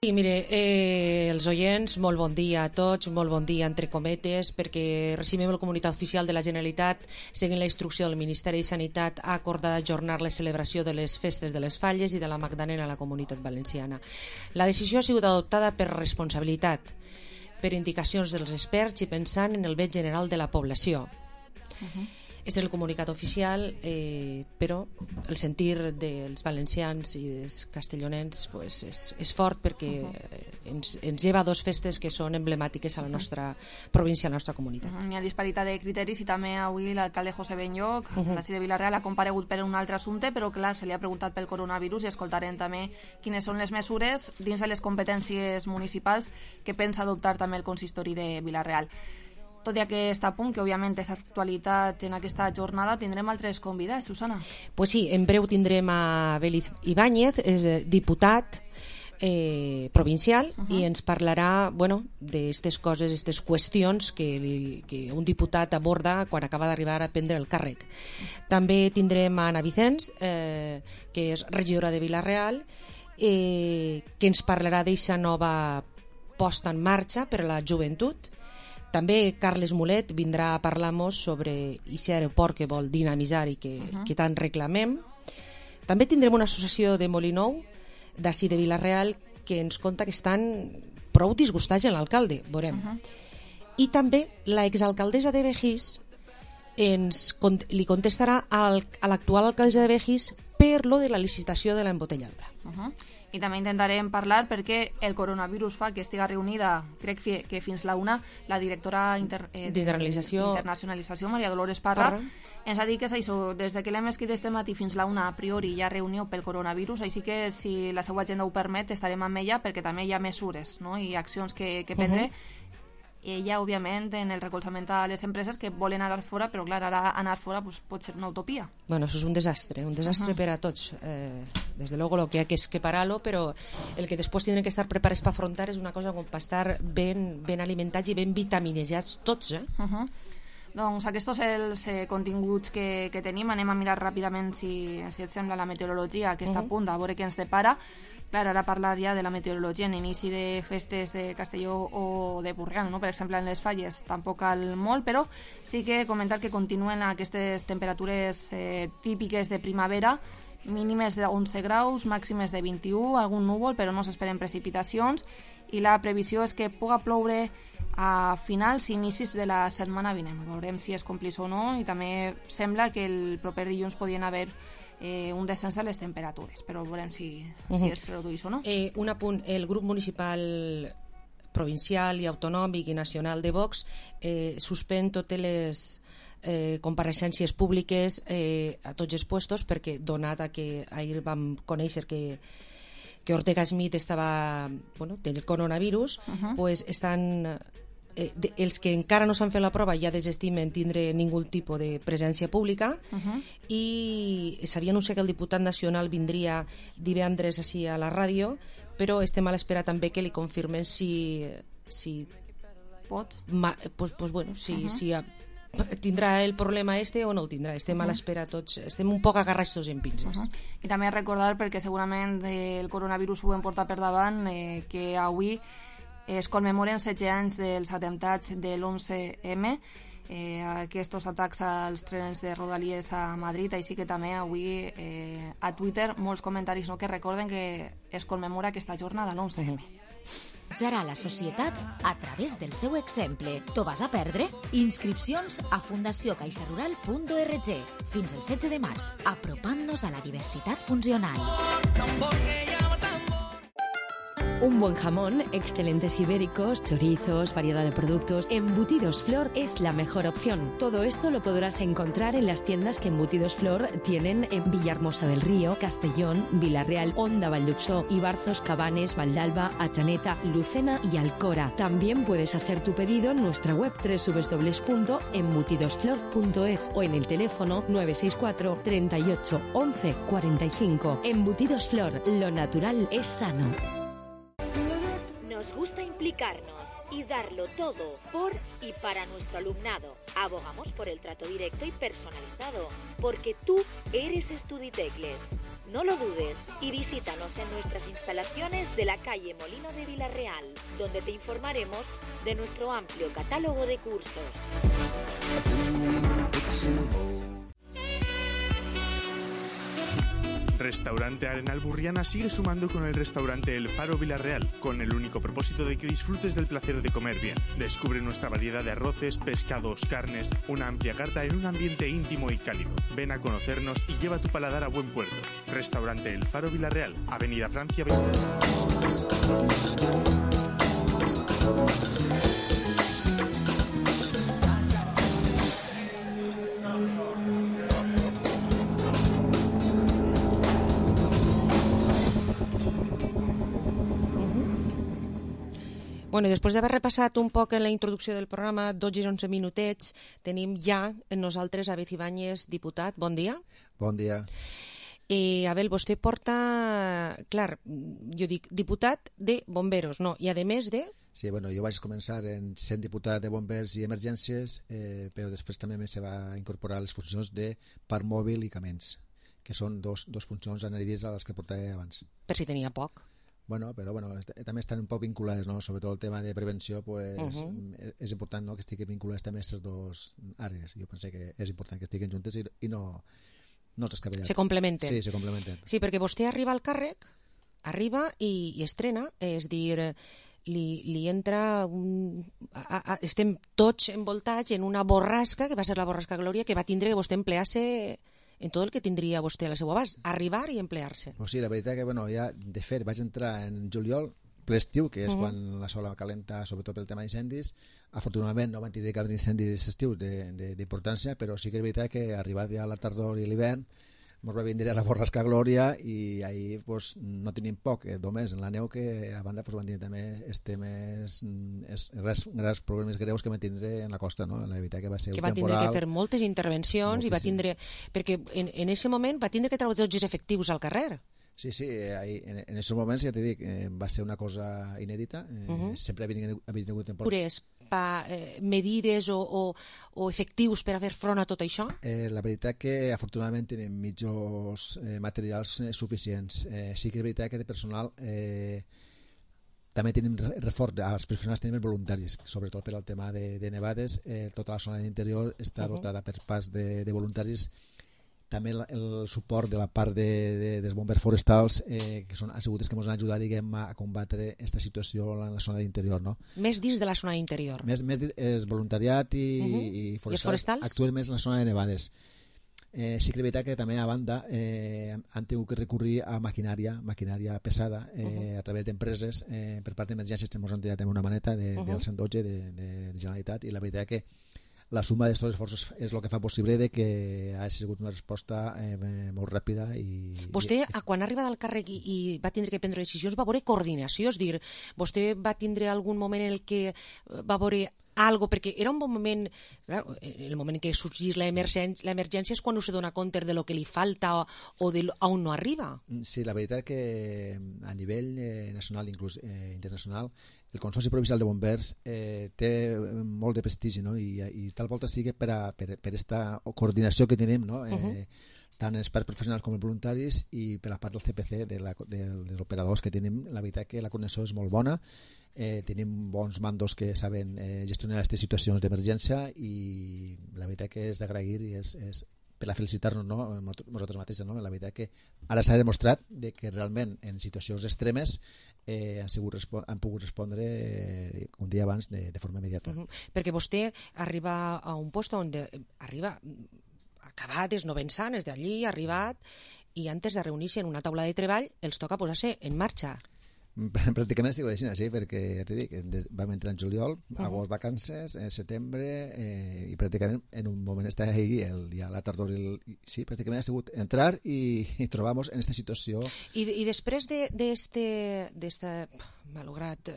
Sí, mire, els oients, molt bon dia a tots, molt bon dia entre cometes, perquè recibim el comunicat oficial de la Generalitat, seguint la instrucció del Ministeri de Sanitat, ha acordat ajornar la celebració de les festes de les Falles i de la Magdalena a la Comunitat Valenciana. La decisió ha sigut adoptada per responsabilitat, per indicacions dels experts i pensant en el bé general de la població. Este és el comunicat oficial, però el sentir dels valencians i dels castellonens pues, és fort perquè ens lleva a dos festes que són emblemàtiques a la nostra província, a la nostra comunitat. Hi ha disparitat de criteris i també avui l'alcalde José Benlloch, l'ací de Vila-real, ha comparegut per un altre assumpte, però clar, se li ha preguntat pel coronavirus i escoltarem també quines són les mesures dins de les competències municipals que pensa adoptar també el consistori de Vila-real. Tot i aquest punt, que òbviament és actualitat en aquesta jornada, tindrem altres convidats, Susana? Pues sí, en breu tindrem a Beliz Ibáñez, és diputat provincial i ens parlarà d'aquestes coses, aquestes qüestions que un diputat aborda quan acaba d'arribar a prendre el càrrec. També tindrem a Ana Vicens, que és regidora de Vila-real, que ens parlarà d'aquesta nova posta en marxa per a la joventut. També Carles Mulet vindrà a parlar-nos sobre aquest aeroport que vol dinamitzar i que tant reclamem. També tindrem una associació de Molinou, d'ací de Vila-real, que ens conta que estan prou disgustats en l'alcalde, veurem. I també l'exalcaldessa de Begís li contestarà a l'actual alcaldessa de Begís per lo de la licitació de l'embotelladora. I també intentarem parlar perquè el coronavirus fa que estiga reunida, crec que fins la una, la directora d'internacionalització, Maria Dolores Parra, ens ha dit que és això, des que l'hem escrit este matí fins la una, a priori hi ha reunió pel coronavirus, així que si la seva agenda ho permet estarem amb ella perquè també hi ha mesures i accions que prendre. Ella, òbviament, en el recolzament a les empreses que volen anar fora, però clar, ara anar fora pot ser una utopia. Bueno, eso es un desastre per a tots. Desde luego lo que hay que es que pararlo, pero el que después tienen que estar preparados para afrontar es una cosa com per estar ben alimentats i ben vitaminejats tots, Doncs aquests són els continguts que tenim. Anem a mirar ràpidament, si et sembla, la meteorologia, que està a punt, a veure què ens depara. Clar, ara parlar ja de la meteorologia en inici de festes de Castelló o de Borriana, per exemple, en les Falles tampoc cal molt, però sí que comentar que continuen aquestes temperatures típiques de primavera, mínimes de 11 graus, màximes de 21, algun núvol, però no s'esperen precipitacions, i la previsió és que puga ploure a finals i inicis de la setmana vinent. Veurem si es complís o no, i també sembla que el proper dilluns podien haver un descens de les temperatures, però veurem si es produeix o no. Un apunt, el grup municipal provincial i autonòmic i nacional de Vox suspèn totes les compareixences públiques a tots els puestos, perquè donat a que ahir vam conèixer que Ortega Smith estava té el coronavirus, pues estan els que encara no s'han fet la prova ja desestimen tindre ningú tipus de presència pública i s'havia anunciat que el diputat nacional vindria divendres així a la ràdio, però estem a l'espera també que li confirmen si pot, si tindrà el problema o no el tindrà. Estem a l'espera tots, estem un poc agarrats tots en pinces. I també recordar, perquè segurament el coronavirus ho hem portat per davant, que avui es commemoren 16 anys dels atemptats de l'11M, aquests atacs als trens de Rodalies a Madrid, així que també avui a Twitter molts comentaris que recorden que es commemora aquesta jornada, l'11M. Serà la societat a través del seu exemple. T'ho vas a perdre? Inscripcions a fundaciocaixarural.org fins el 16 de març, apropant-nos a la diversitat funcional. Un buen jamón, excelentes ibéricos, chorizos, variedad de productos. Embutidos Flor es la mejor opción. Todo esto lo podrás encontrar en las tiendas que Embutidos Flor tienen en Villahermosa del Río, Castellón, Vila-real, Onda, Valldupsó, Ibarzos, Cabanes, Valdalba, Atxaneta, Lucena y Alcora. También puedes hacer tu pedido en nuestra web www.embutidosflor.es o en el teléfono 964 38 11 45. Embutidos Flor, lo natural es sano. Nos gusta implicarnos y darlo todo por y para nuestro alumnado. Abogamos por el trato directo y personalizado, porque tú eres Estuditecles. No lo dudes y visítanos en nuestras instalaciones de la calle Molino de Villarreal, donde te informaremos de nuestro amplio catálogo de cursos. Restaurante Arenal Burriana sigue sumando con el restaurante El Faro Villarreal, con el único propósito de que disfrutes del placer de comer bien. Descubre nuestra variedad de arroces, pescados, carnes, una amplia carta en un ambiente íntimo y cálido. Ven a conocernos y lleva tu paladar a buen puerto. Restaurante El Faro Villarreal, Avenida Francia 20. Bueno, després d'haver repassat un poc en la introducció del programa, 12 i 11 minutets, tenim ja en nosaltres Abel Ibáñez, diputat. Bon dia. Bon dia. Abel, vostè porta, clar, jo dic diputat de bomberos, no? I a més de... Sí, bueno, jo vaig començar sent diputat de bombers i emergències, però després també se va incorporar les funcions de parc mòbil i camins, que són dos funcions anèrides a les que portava abans. Per si tenia poc. Bueno, però també estan un poc vinculades, no? Sobretot el tema de prevenció, pues, és important, no?, que estiguin vinculades també aquestes dues àrees. Jo penso que és important que estiguin juntes i no s'escabellen. Se complementen. Sí, se complementen. Sí, perquè vostè arriba al càrrec, arriba i estrena, és dir, li entra estem tots envoltats en una borrasca, que va ser la borrasca Glòria, que va tindre que vostè emplear-se en tot el que tindria vostè a la seva abast, arribar i emplear-se. Pues sí, la veritat que, ja, de fet, vaig entrar en juliol, ple estiu, que és quan la sola calenta, sobretot pel tema d'incendis. Afortunadament no van tenir cap d'incendi estius d'importància, però sí que és veritat que arribat ja la tardor i l'hivern, ens va vindre la borrasca Glòria i ahir pues, no tenim poc, només en la neu, que a banda pues, van tenir també grans problemes greus que van tindre en la costa, no? La veritat que va ser que va tindre que fer moltes intervencions moltíssim. I va tindre, perquè en aquest moment va tindre que treure tots els efectius al carrer. Sí, en aquests moments, ja t'he dit, va ser una cosa inèdita. Sempre havia tingut temporada. Medides o efectius per a fer front a tot això? La veritat que afortunadament tenim mitjos materials suficients. Sí que és veritat que de personal també tenim reforç, els professionals tenim voluntaris, sobretot per al tema de nevades. Tota la zona d'interior està dotada per parts de voluntaris. També el suport de la part dels bombers forestals, que són asseguts que ens han ajudat, diguem, a combatre aquesta situació en la zona d'interior, no? Més dins de la zona d'interior? Més és voluntariat i forestals actuen més en la zona de nevades. Sí que és veritat que també a banda han tingut que recurrir a maquinària pesada a través d'empreses. Per part d'emergències ens han tirat una maneta del 112 de Generalitat, i la veritat que la suma d'aquests esforços és el que fa possible de que ha sigut una resposta molt ràpida. Vostè, quan ha arribat al càrrec i va tindre que prendre decisions, va veure coordinació, és dir, vostè va tindre algun moment en el que va veure algo, perquè era un bon moment, clar, el moment en què sorgís l'emergència és quan no se dona compte de lo que li falta o de on no arriba. Sí, la veritat que a nivell nacional, inclús internacional, el Consorci Provincial de Bombers té molt de prestigi, no? I tal volta sigui per aquesta coordinació que tenim, no? Tant els parts professionals com els voluntaris, i per la part del CPC, dels operadors que tenim. La veritat que la coordinació és molt bona. Tenim bons mandos que saben gestionar aquestes situacions d'emergència, i la veritat que és d'agrair i és per a felicitar-nos, no? Nosaltres mateixos, no? La veritat que ara s'ha demostrat que realment en situacions extremes han pogut respondre un dia abans de forma immediata. Perquè vostè arriba a un lloc on arriba acabat, esnovent-se d'allí, arribat, i antes de reunir-se en una taula de treball els toca posar-se en marxa. Pràcticament estic així, sí, perquè ja t'he dit, vam entrar en juliol, agost vacances, setembre, i pràcticament en un moment està ahí ja la tardor, sí, pràcticament ha sigut entrar i trobar-nos en aquesta situació. I després d'esta malograt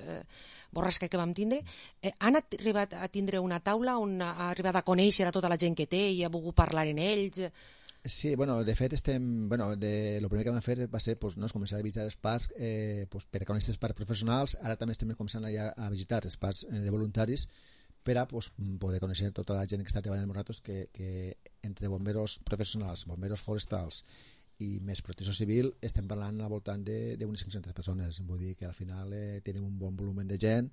borrasca que vam tindre, han arribat a tindre una taula on ha arribat a conèixer a tota la gent que té i ha volgut parlar en ells? Sí, bueno, de fet el primer que vam fer va ser començar a visitar els parcs per a conèixer els parcs professionals. Ara també estem començant a visitar els parcs de voluntaris per a poder conèixer tota la gent que està treballant amb nosaltres, que entre bomberos professionals, bomberos forestals i més protecció civil estem parlant al voltant d'unes 500 persones. Vull dir que al final tenim un bon volum de gent.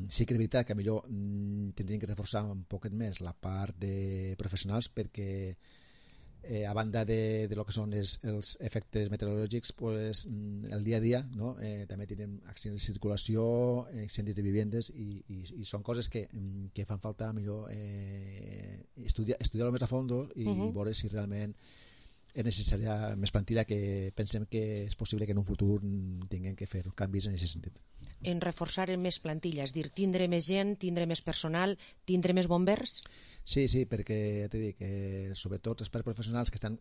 Sí que és veritat que millor tindríem que reforçar un poquet més la part de professionals, perquè a banda de lo que són els efectes meteorològics, el dia a dia, no? També tenim accidents de circulació, incendis de vivendes, i són coses que fan falta millor estudiar-ho més a fons i veure si realment és necessària més plantilla, que pensem que és possible que en un futur tinguem que fer canvis en aquest sentit. En reforçar més plantilla, és dir, tindre més gent, tindre més personal, tindre més bombers? Sí, perquè ja t'he dit que sobretot els parcs professionals que estan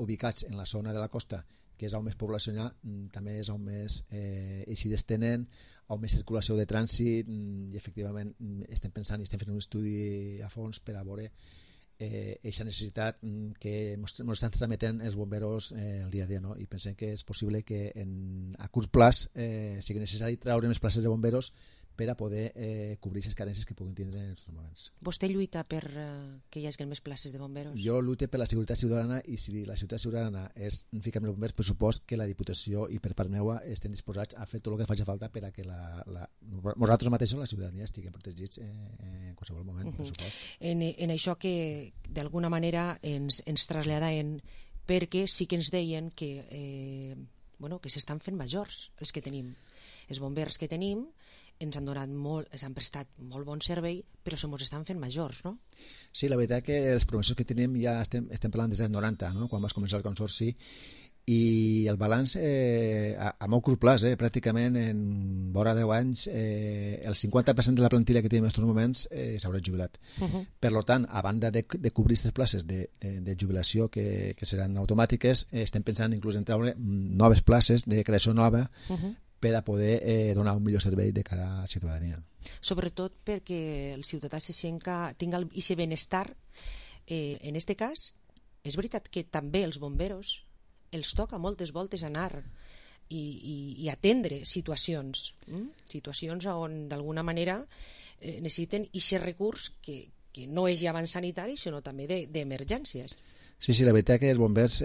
ubicats en la zona de la costa, que és on més població hi ha, també és on més eixides tenen, on més circulació de trànsit, i efectivament estem pensant i estem fent un estudi a fons per a veure aquesta necessitat que ens estan trametent els bomberos el dia a dia, no? I pensem que és possible que a curt plaç sigui necessari treure més places de bomberos per a poder cobrir les carències que puguin tindre en aquests moments. Vostè lluita per que hi hagi més places de bomberos? Jo lluito per la seguretat ciutadana, i si la seguretat ciutadana és ficar més bombers, per supost que la Diputació i per part meva estem disposats a fer tot el que faci falta per a que nosaltres mateixos, la ciutadania, estiguem protegits en qualsevol moment, per supost. En això que d'alguna manera ens traslladaven, perquè sí que ens deien que s'estan fent majors els que tenim. Els bombers que tenim ens han prestat molt bon servei, però se mos estan fent majors, no? Sí, la veritat que els professors que tenim ja estem parlant des dels 90, no? Quan vas començar el consorci, i el balanç a molt curt plaç, pràcticament en vora 10 anys el 50% de la plantilla que tenim en aquests moments s'haurà jubilat. Per tant, a banda de cobrir aquestes places de jubilació que seran automàtiques, estem pensant inclús en treure noves places de creació nova per a poder donar un millor servei de cara a la ciutadania. Sobretot perquè el ciutadà tinga aquest benestar. En aquest cas, és veritat que també els bomberos els toca moltes voltes anar i atendre situacions on d'alguna manera necessiten aquest recurs que no és ja abans sanitari, sinó també d'emergències. Sí, la veritat que els bombers,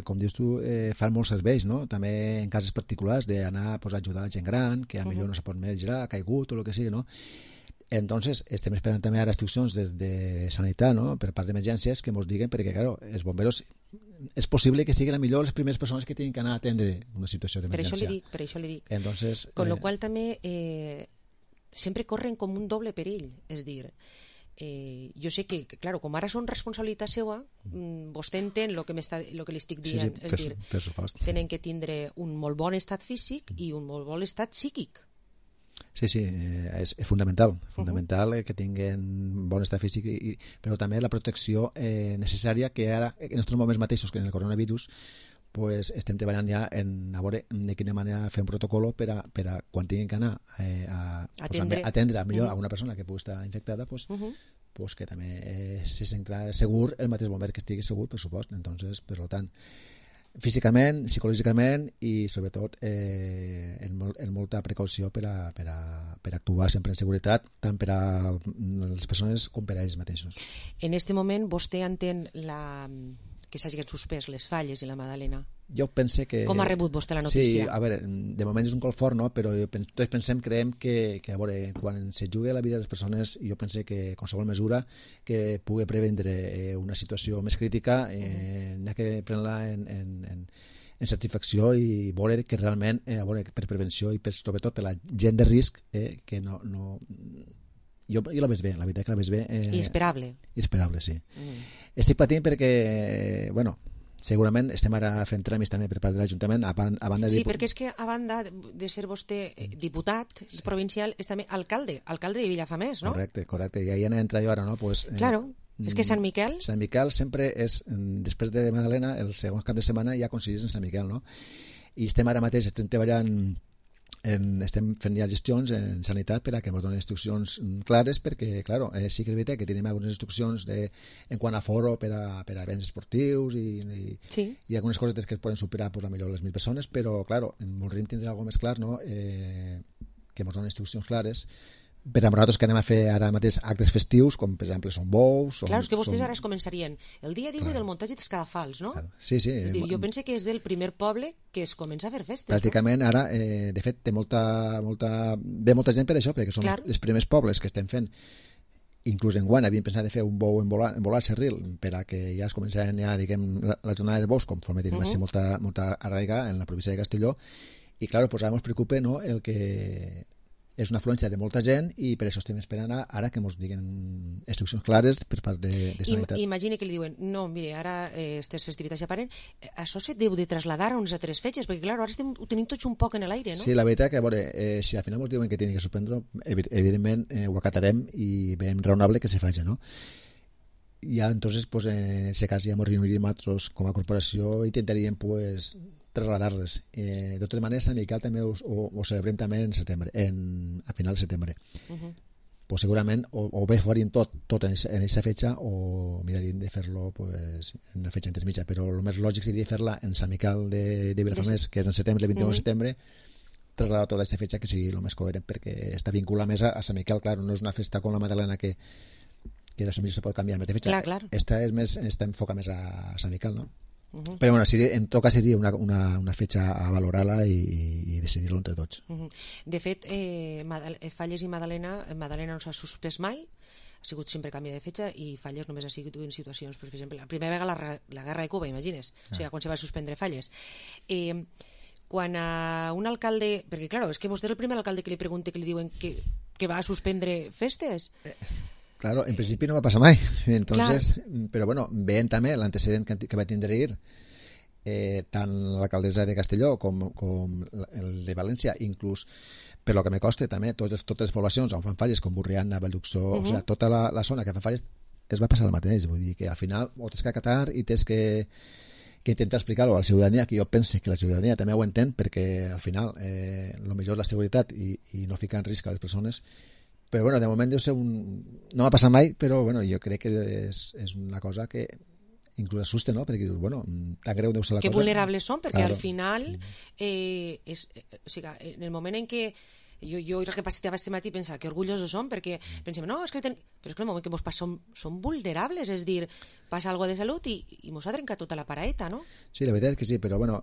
com dius tu, fan molts serveis, no? També en casos particulars d'anar a ajudar gent gran, que potser no se pot més girar, ha caigut o el que sigui, no? Entonces, estem esperant també ara instruccions des de Sanitat, no? Per part d'emergències, que ens diguen, perquè, claro, els bomberos és possible que siguin millor les primeres persones que tinguin que anar a atendre una situació d'emergència. Per això li dic. Entonces, con lo qual també sempre corren com un doble perill, és dir, jo sé que, claro, com ara són responsabilitat seva, vostè entén el que li estic dient, és dir, tenen que tindre un molt bon estat físic i un molt bon estat psíquic. Sí, és fundamental que tinguin bon estat físic, però també la protecció necessària, que ara, en aquests moments mateixos que en el coronavirus, estem treballant ja a veure de quina manera fer un protocol per a quan tinguin que anar a atendre millor a una persona que pugui estar infectada, que també se senta segur el mateix bomber que estigui segur, per supost. Entonces, per tant, físicament, psicològicament i sobretot en molta precaució per a actuar sempre en seguretat, tant per a les persones com per a ells mateixos. En aquest moment vostè entén que s'hagin suspès les Falles i la Madalena? Jo pense que... Com ha rebut vostè la notícia? Sí, a veure, de moment és un col fort, no? Però tots creiem que a veure, quan se juga la vida de les persones, jo pense que qualsevol mesura que pugui prevendre una situació més crítica n'ha que prendre-la en satisfacció i veure que realment, per prevenció i sobretot per la gent de risc, que no... Jo la veig bé, la veritat que la veig bé. I esperable. I esperable, sí. Estic patint perquè, segurament estem ara fent tràmits també per part de l'Ajuntament, a banda de... Sí, perquè és que a banda de ser vostè diputat provincial, és també alcalde de Vilafamés, no? Correcte, i ahí entra jo ara, no? Claro, és que Sant Miquel... Sant Miquel sempre és, després de Madalena, el segon cap de setmana ja coincideix en Sant Miquel, no? I estem ara mateix, estem treballant estem fent ja gestions en sanitat per a que ens donen instruccions clares, perquè, clar, sí que és veritat que tenim algunes instruccions en quant a foro per a events esportius i algunes coses que es poden superar pues, millor les 1.000 persones, però, clar, voldríem tindre alguna més clar, no? Que ens donen instruccions clares per a nosaltres que anem a fer ara mateix actes festius, com per exemple són bous... Clar, és que vostès ara es començarien el dia 18 del muntatge dels cadafals, no? Claro. Sí. És dir, jo penso que és del primer poble que es comença a fer festes. Pràcticament ara, de fet, ve molta gent per això, perquè són els primers pobles que estem fent. Inclús enguany havíem pensat de fer un bou embolat Cerril per a que ja es començaran ja, diguem, la jornada de bous, conforme tenim molta arraiga en la província de Castelló. I, clar, pues ara ens preocupa, no?, el que és una afluència de molta gent i per això estem esperant ara que ens diguin instruccions clares per part de sanitat. Imagina que li diuen, no, mire, ara aquestes festivitats ja paren, això se deu de trasladar a unes altres fetges, perquè clar, ara ho tenim tots un poc en l'aire, no? Sí, la veritat que, a veure, si al final ens diuen que tenim que suspendre, evidentment ho acatarem i veiem raonable que se faci, no? Ja, entonces, pues, en ese cas ja ens reuniríem nosaltres com a corporació i intentaríem, pues, trasladar-les. De totes maneres, a Miquel també ho celebrem també en setembre, a final de setembre. Pues segurament o bé faríem tot en aquesta fetxa o miraríem de fer-lo pues, en una fetxa intermitja, però el més lògic seria fer-la en Sant Miquel de Vilafamés, que és en setembre, el 21 de setembre, trasladar tota aquesta fetxa que sigui el més coherent, perquè està vinculada més a Sant Miquel, clar, no és una festa com la Madalena que la millor se pot canviar més de fetxa. Clar. Esta està enfocada més a Sant Miquel, no? Però bueno, en tot cas seria una fetxa a valorar-la i decidir-lo entre tots. De fet, Falles i Madalena no s'ha suspès mai, ha sigut sempre canvi de fetxa, i Falles només ha sigut en situacions, per exemple, la primera vegada la guerra de Cuba, imagines, o sigui, quan se va suspendre Falles. Quan a un alcalde, perquè clar, és que vostè és el primer alcalde que li pregunta, que li diuen que va suspendre festes. Claro, en principi no va passar mai. Entonces, però bueno, veient també l'antecedent que va tindre tant l'alcaldessa de Castelló com el de València, inclús per lo que me costa també, totes les poblacions on fan falles, com Borriana, Valldhuxó, o sigui, tota la zona que fan falles es va passar el mateix, vull dir que al final ho tens que acatar i tens que intentar explicar-ho a la ciutadania, que jo pense que la ciutadania també ho entén, perquè al final el millor és la seguretat i no ficar en risc a les persones. Però bueno, de moment deu ser no m'ha passat mai, però bueno, jo crec que és una cosa que inclús assusta, no? Perquè dius, bueno, tan greu deu ser la cosa. Que vulnerables són, perquè al final o sigui, en el moment en què jo recapacitava este matí i pensava que orgullosos som, perquè pensem, no, és que però és que el moment que mos passa som vulnerables, és dir, passa alguna de salut i mos ha trencat tota la paraeta, no? Sí, la veritat és que sí, però bueno,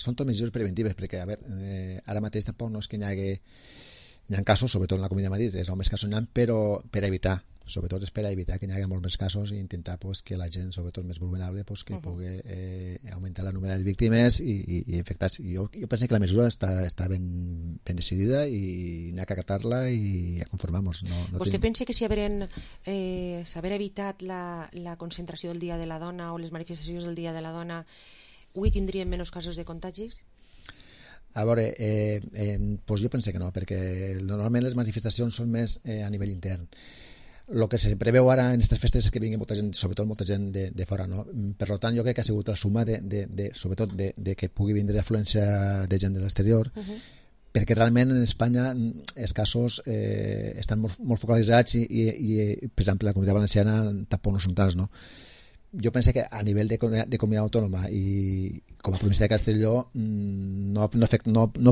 són tot mesures preventives, perquè a veure, ara mateix tampoc no és que hi ha casos, sobretot en la Comunitat de Madrid, és on més casos n'hi ha, però per evitar, sobretot és per evitar que hi hagi molts més casos i intentar pues, que la gent, sobretot més vulnerable, pues, que pugui augmentar la número de víctimes i infectats. Jo penso que la mesura està ben decidida i n'hi ha que acatar-la i a conformar-nos. Vostè pensa que si s'haver evitat la concentració del Dia de la Dona o les manifestacions del Dia de la Dona, avui tindríem menys casos de contagis? A veure, doncs jo penso que no, perquè normalment les manifestacions són més a nivell intern. El que se preveu ara en aquestes festes és que vingui molta gent, sobretot molta gent de fora, no? Per tant, jo crec que ha sigut la suma sobretot de que pugui vindre afluència de gent de l'exterior, perquè realment en Espanya els casos estan molt focalitzats i per exemple, la Comunitat Valenciana tampoc no són tants, no? Jo penso que a nivell de comunitat autònoma i com a província de Castelló no ha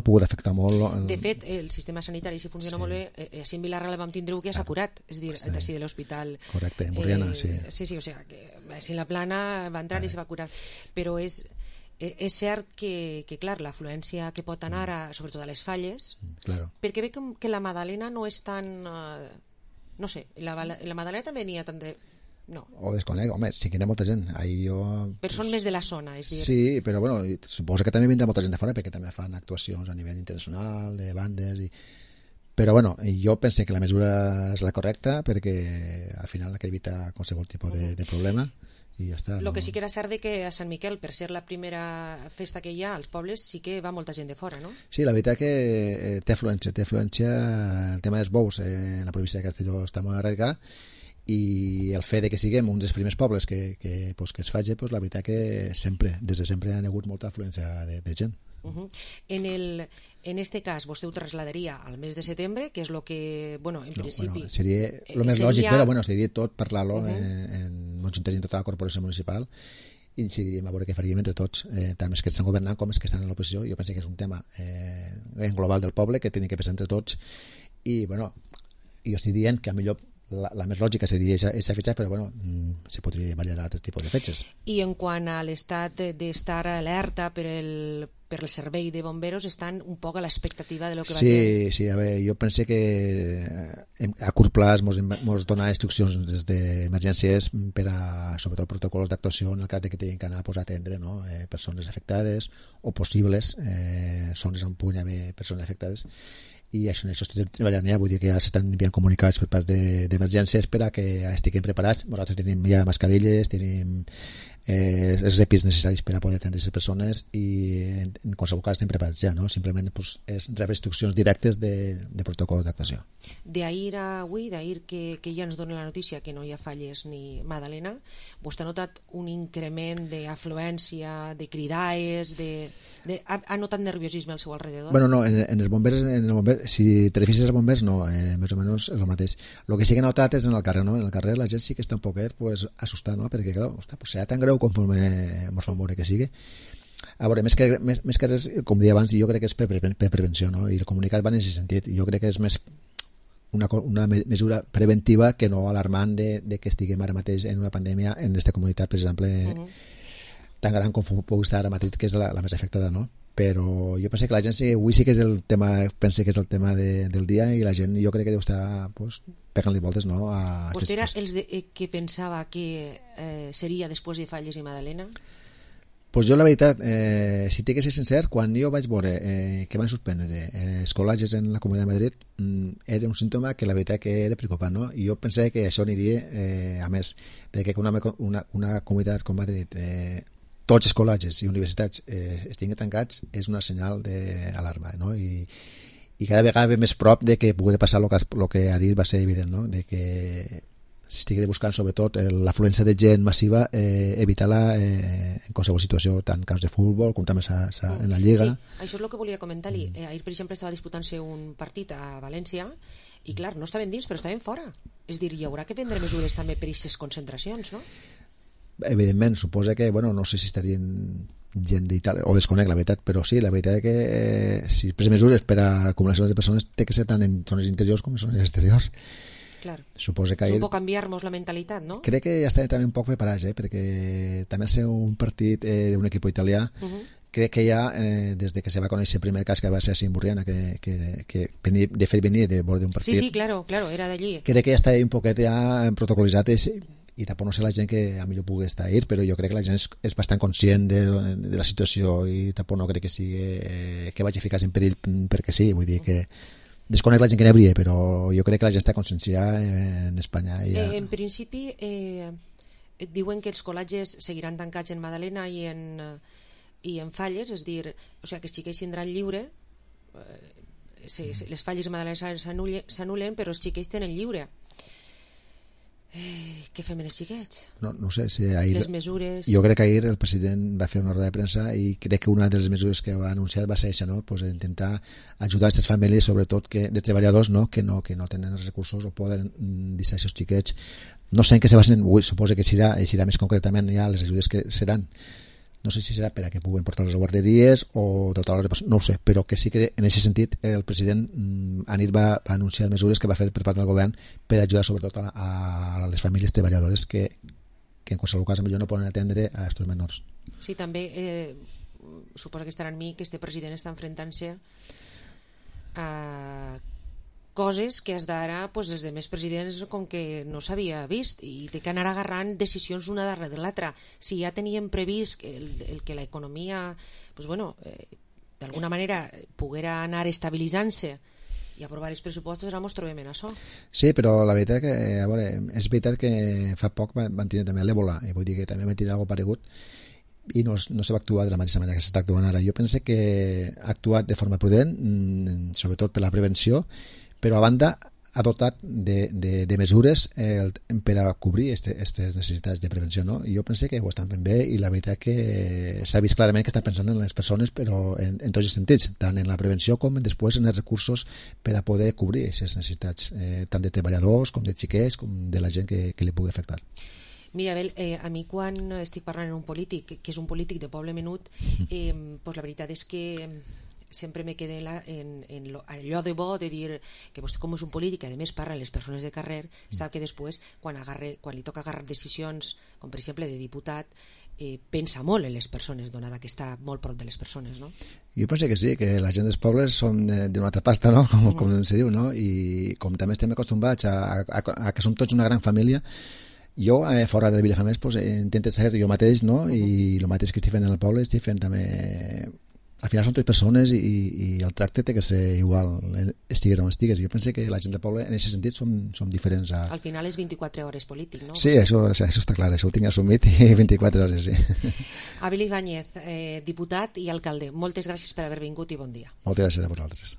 pogut afectar molt. De fet, el sistema sanitari, si funciona molt bé, així en Vilarra vam tindre que s'ha curat, és a dir, d'ací de l'hospital. Correcte, en Borriana, sí. Sí, o sigui, que així en la plana va entrar i se va curar. Però és cert que clar, l'afluència que pot anar, sobretot a les falles, perquè veig que la Madalena no és tan... No sé, la Madalena també n'hi ha tant de... No. O desconec, home, sí que hi ha molta gent. Però són més de la zona, és dir... Sí, però bueno, suposo que també vindrà molta gent de fora perquè també fan actuacions a nivell internacional, de bandes... Però bueno, jo penso que la mesura és la correcta perquè al final ha d'evitar qualsevol tipus de problema i ja està. El que sí que era cert que a Sant Miquel, per ser la primera festa que hi ha als pobles, sí que va molta gent de fora, no? Sí, la veritat que té afluència. El tema dels bous en la província de Castelló està molt arraigat i el fet de que siguem un dels primers pobles que es faci, la veritat que des de sempre ha hagut molta afluència de gent. En En este cas, vostè ho trasladaria al mes de setembre, que és el que, bueno, en principi... Seria el més lògic, però seria tot parlar-lo, ens tenim tota la corporació municipal i decidiríem a veure què faríem entre tots, tant els que estan governant com els que estan en l'oposició. Jo penso que és un tema en global del poble que tenim que pensar entre tots i, bueno, jo estic dient que a millor la més lògica seria aquesta fetge, però bueno, se podria variar altres tipus de fetges. I en quant a l'estat d'estar alerta per el servei de bomberos, estan un poc a l'expectativa de lo que va ser. Sí, a veure, jo penso que a curt plaç mos dona instruccions des d'emergències per a, sobretot, protocols d'actuació en el cas de que tinguin que anar a atendre, no? Persones afectades o possibles zones on puguin haver persones afectades, i això estem treballant ja, vull dir que ja estan enviant comunicats per part d'emergències per a que estiguem preparats. Nosaltres tenim ja mascarilles, tenim els EPIs necessaris per a poder atendre aquestes persones i en qualsevol cas estem preparats ja, no? Simplement pues, és rebre instruccions directes de protocol d'actuació. D'ahir a avui, d'ahir que ja ens dona la notícia que no hi ha falles ni Madalena, vostè ha notat un increment d'afluència, de cridades, ha notat nerviosisme al seu alrededor? Bueno, no, en els bombers, si te refieres als bombers, no, més o menys és el mateix. El que sí que he notat és en el carrer, no? En el carrer la gent sí que està un poquet pues, assustada, no? Perquè, clar, pues, serà tan greu conforme ens fan veure que sigui. A veure, més que res, com deia abans, jo crec que és per prevenció, no? I el comunicat va en aquest sentit. Jo crec que és més una mesura preventiva que no alarmant de que estiguem ara mateix en una pandèmia en aquesta comunitat, per exemple, tan gran com pugui estar ara Madrid, que és la més afectada, no? Però jo penso que la gent avui sí que és el tema, pense que és el tema del dia, i la gent jo crec que deu estar pues, pegant-li voltes, no? Vostè era els que pensava que seria després de Falles i Madalena? Pues jo la veritat, si tinc que ser sincer, quan jo vaig veure que van suspendre els col·legis en la Comunitat de Madrid, era un símptoma que la veritat que era preocupant, no? I jo pensava que això aniria a més, perquè una comunitat com Madrid, tots els col·legis i universitats estiguin tancats, és una senyal d'alarma, no? I cada vegada ve més prop de que pugui passar el que ahir va ser evident, no? De que s'estigui buscant sobretot l'afluència de gent massiva, evitar-la en qualsevol situació, tant camps de futbol com també en la Lliga. Sí, això és el que volia comentar-li. Ahir, per exemple, estava disputant-se un partit a València i, clar, no estaven dins, però estaven fora. És dir, hi haurà que prendre mesures també per aquestes concentracions, no? Evidentment, suposa que, bueno, no sé si estarien gent d'Itàlia, o desconec la veritat, però sí, la veritat és que si pres mesures per a acumulació de persones té que ser tant en zones interiors com en zones exteriors. Clar. Suposa que és un poc canviar-nos la mentalitat, no? Crec que ja estan també un poc preparats, perquè també ser un partit d'un equip italià, crec que ja, des de que se va conèixer el primer cas que va ser a Burriana, que de fet venia de bord d'un partit. Sí, claro, era d'allí. Crec que ja està un poquet ja protocolitzat i tampoc no sé la gent que a millor pugui estar ahir, però jo crec que la gent és bastant conscient de la situació i tampoc no crec que sigui que vagi a ficar-se en perill perquè sí, vull dir que desconec la gent que n'hi hauria, però jo crec que la gent està conscienciada en Espanya. En principi diuen que els col·legis seguiran tancats en Madalena i en Falles, és dir, o sigui que els xiquets tindran lliure, les Falles i Madalena s'anulen, però els xiquets tenen lliure. Què fem en els xiquets? No sé si ahir, les mesures... Jo crec que ahir el president va fer una roda de premsa i crec que una de les mesures que va anunciar va ser això, no? Pues intentar ajudar aquestes famílies, sobretot de treballadors, no? Que no tenen els recursos o poden deixar aquests xiquets. No sé en què se basen, suposo que serà més concretament ja les ajudes que seran. No sé si serà per a que puguen portar les guarderies o dotar les... No ho sé, però que sí que en aquest sentit el president anit va anunciar mesures que va fer per part del govern per ajudar sobretot a les famílies treballadores que en qualsevol cas millor no poden atendre a aquests menors. Sí, també suposo que estarà en mi que este president està enfrontant-se a coses que has d'ara pues, els demés presidents com que no s'havia vist i té que anar agarrant decisions una darrere de l'altra. Si ja teníem previst el que l'economia pues, bueno, d'alguna manera poguera anar estabilitzant-se i aprovar els pressupostos, ara ens trobem en això. Sí, però la veritat que a veure, és veritat que fa poc van tenir també l'Ebola i vull dir que també van tenir alguna paregut i no se va actuar de la mateixa manera que s'està actuant ara. Jo penso que ha actuat de forma prudent, sobretot per la prevenció, però a banda ha dotat de mesures per a cobrir aquestes necessitats de prevenció, no? I jo penso que ho estan fent bé i la veritat que s'ha vist clarament que estan pensant en les persones, però en tots els sentits, tant en la prevenció com després en els recursos per a poder cobrir aquestes necessitats, tant de treballadors com de xiquets com de la gent que li pugui afectar. Mira, Abel, a mi quan estic parlant amb un polític, que és un polític de poble menut, pues la veritat és que sempre me quedé en allò de bo de dir que vostè com és un polític, a més parla a les persones de carrer, sap que després quan li toca agarrar decisions com per exemple de diputat, pensa molt en les persones, donada que està molt prop de les persones, no? Jo penso que sí, que la gent dels pobles són d'una altra pasta, no? Com se diu, no? I com també estem acostumats a que som tots una gran família, jo, fora de Vilafamés, pues, intento ser jo mateix, no? I el mateix que estic fent en el poble, estic fent també... Al final són 3 persones i el tracte té que ser igual, estigues on estigues. Jo penso que la gent del poble, en aquest sentit, som diferents. Al final és 24 hores polític, no? Sí, això està clar, això ho tinc assumit, i 24 hores, sí. Abel Ibáñez, diputat i alcalde, moltes gràcies per haver vingut i bon dia. Moltes gràcies a vosaltres.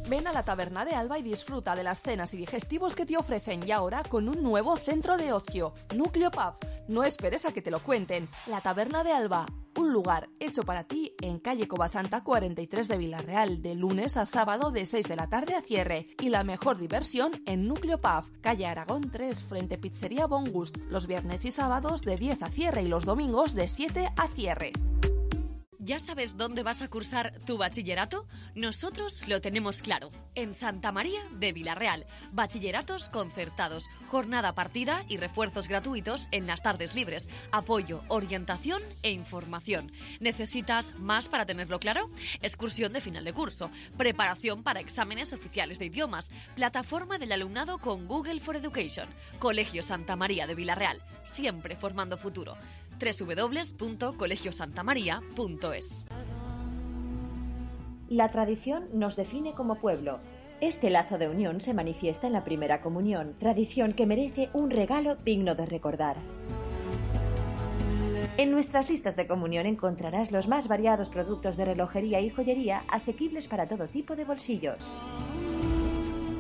Ven a la Taberna de Alba y disfruta de las cenas y digestivos que te ofrecen y ahora con un nuevo centro de ocio, Núcleo Pub. No esperes a que te lo cuenten. La Taberna de Alba, un lugar hecho para ti en calle Covasanta 43 de Villarreal, de lunes a sábado de 6 de la tarde a cierre. Y la mejor diversión en Núcleo Pub, calle Aragón 3, frente Pizzería Bon Gust, los viernes y sábados de 10 a cierre y los domingos de 7 a cierre. ¿Ya sabes dónde vas a cursar tu bachillerato? Nosotros lo tenemos claro. En Santa María de Villarreal. Bachilleratos concertados, jornada partida y refuerzos gratuitos en las tardes libres. Apoyo, orientación e información. ¿Necesitas más para tenerlo claro? Excursión de final de curso. Preparación para exámenes oficiales de idiomas. Plataforma del alumnado con Google for Education. Colegio Santa María de Villarreal. Siempre formando futuro. www.colegiosantamaria.es. La tradición nos define como pueblo. Este lazo de unión se manifiesta en la primera comunión, tradición que merece un regalo digno de recordar. En nuestras listas de comunión encontrarás los más variados productos de relojería y joyería asequibles para todo tipo de bolsillos.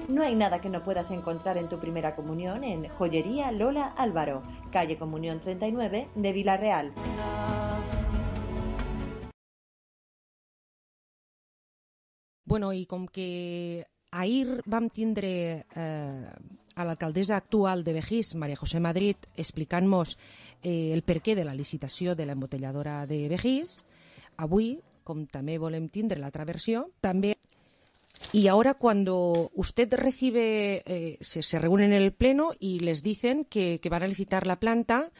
No hay nada que no puedas encontrar en tu primera comunión en Joyería Lola Álvaro, calle Comunión 39 de Villarreal. Bueno, i com que ahir vam tindre a l'alcaldessa actual de Begís, María José Madrid, explicant-nos el perquè de la licitació de l'embotelladora de Begís, avui, com també volem tindre l'altra versió, també. Y ahora cuando usted recibe, se reúnen en el pleno y les dicen que van a licitar la planta,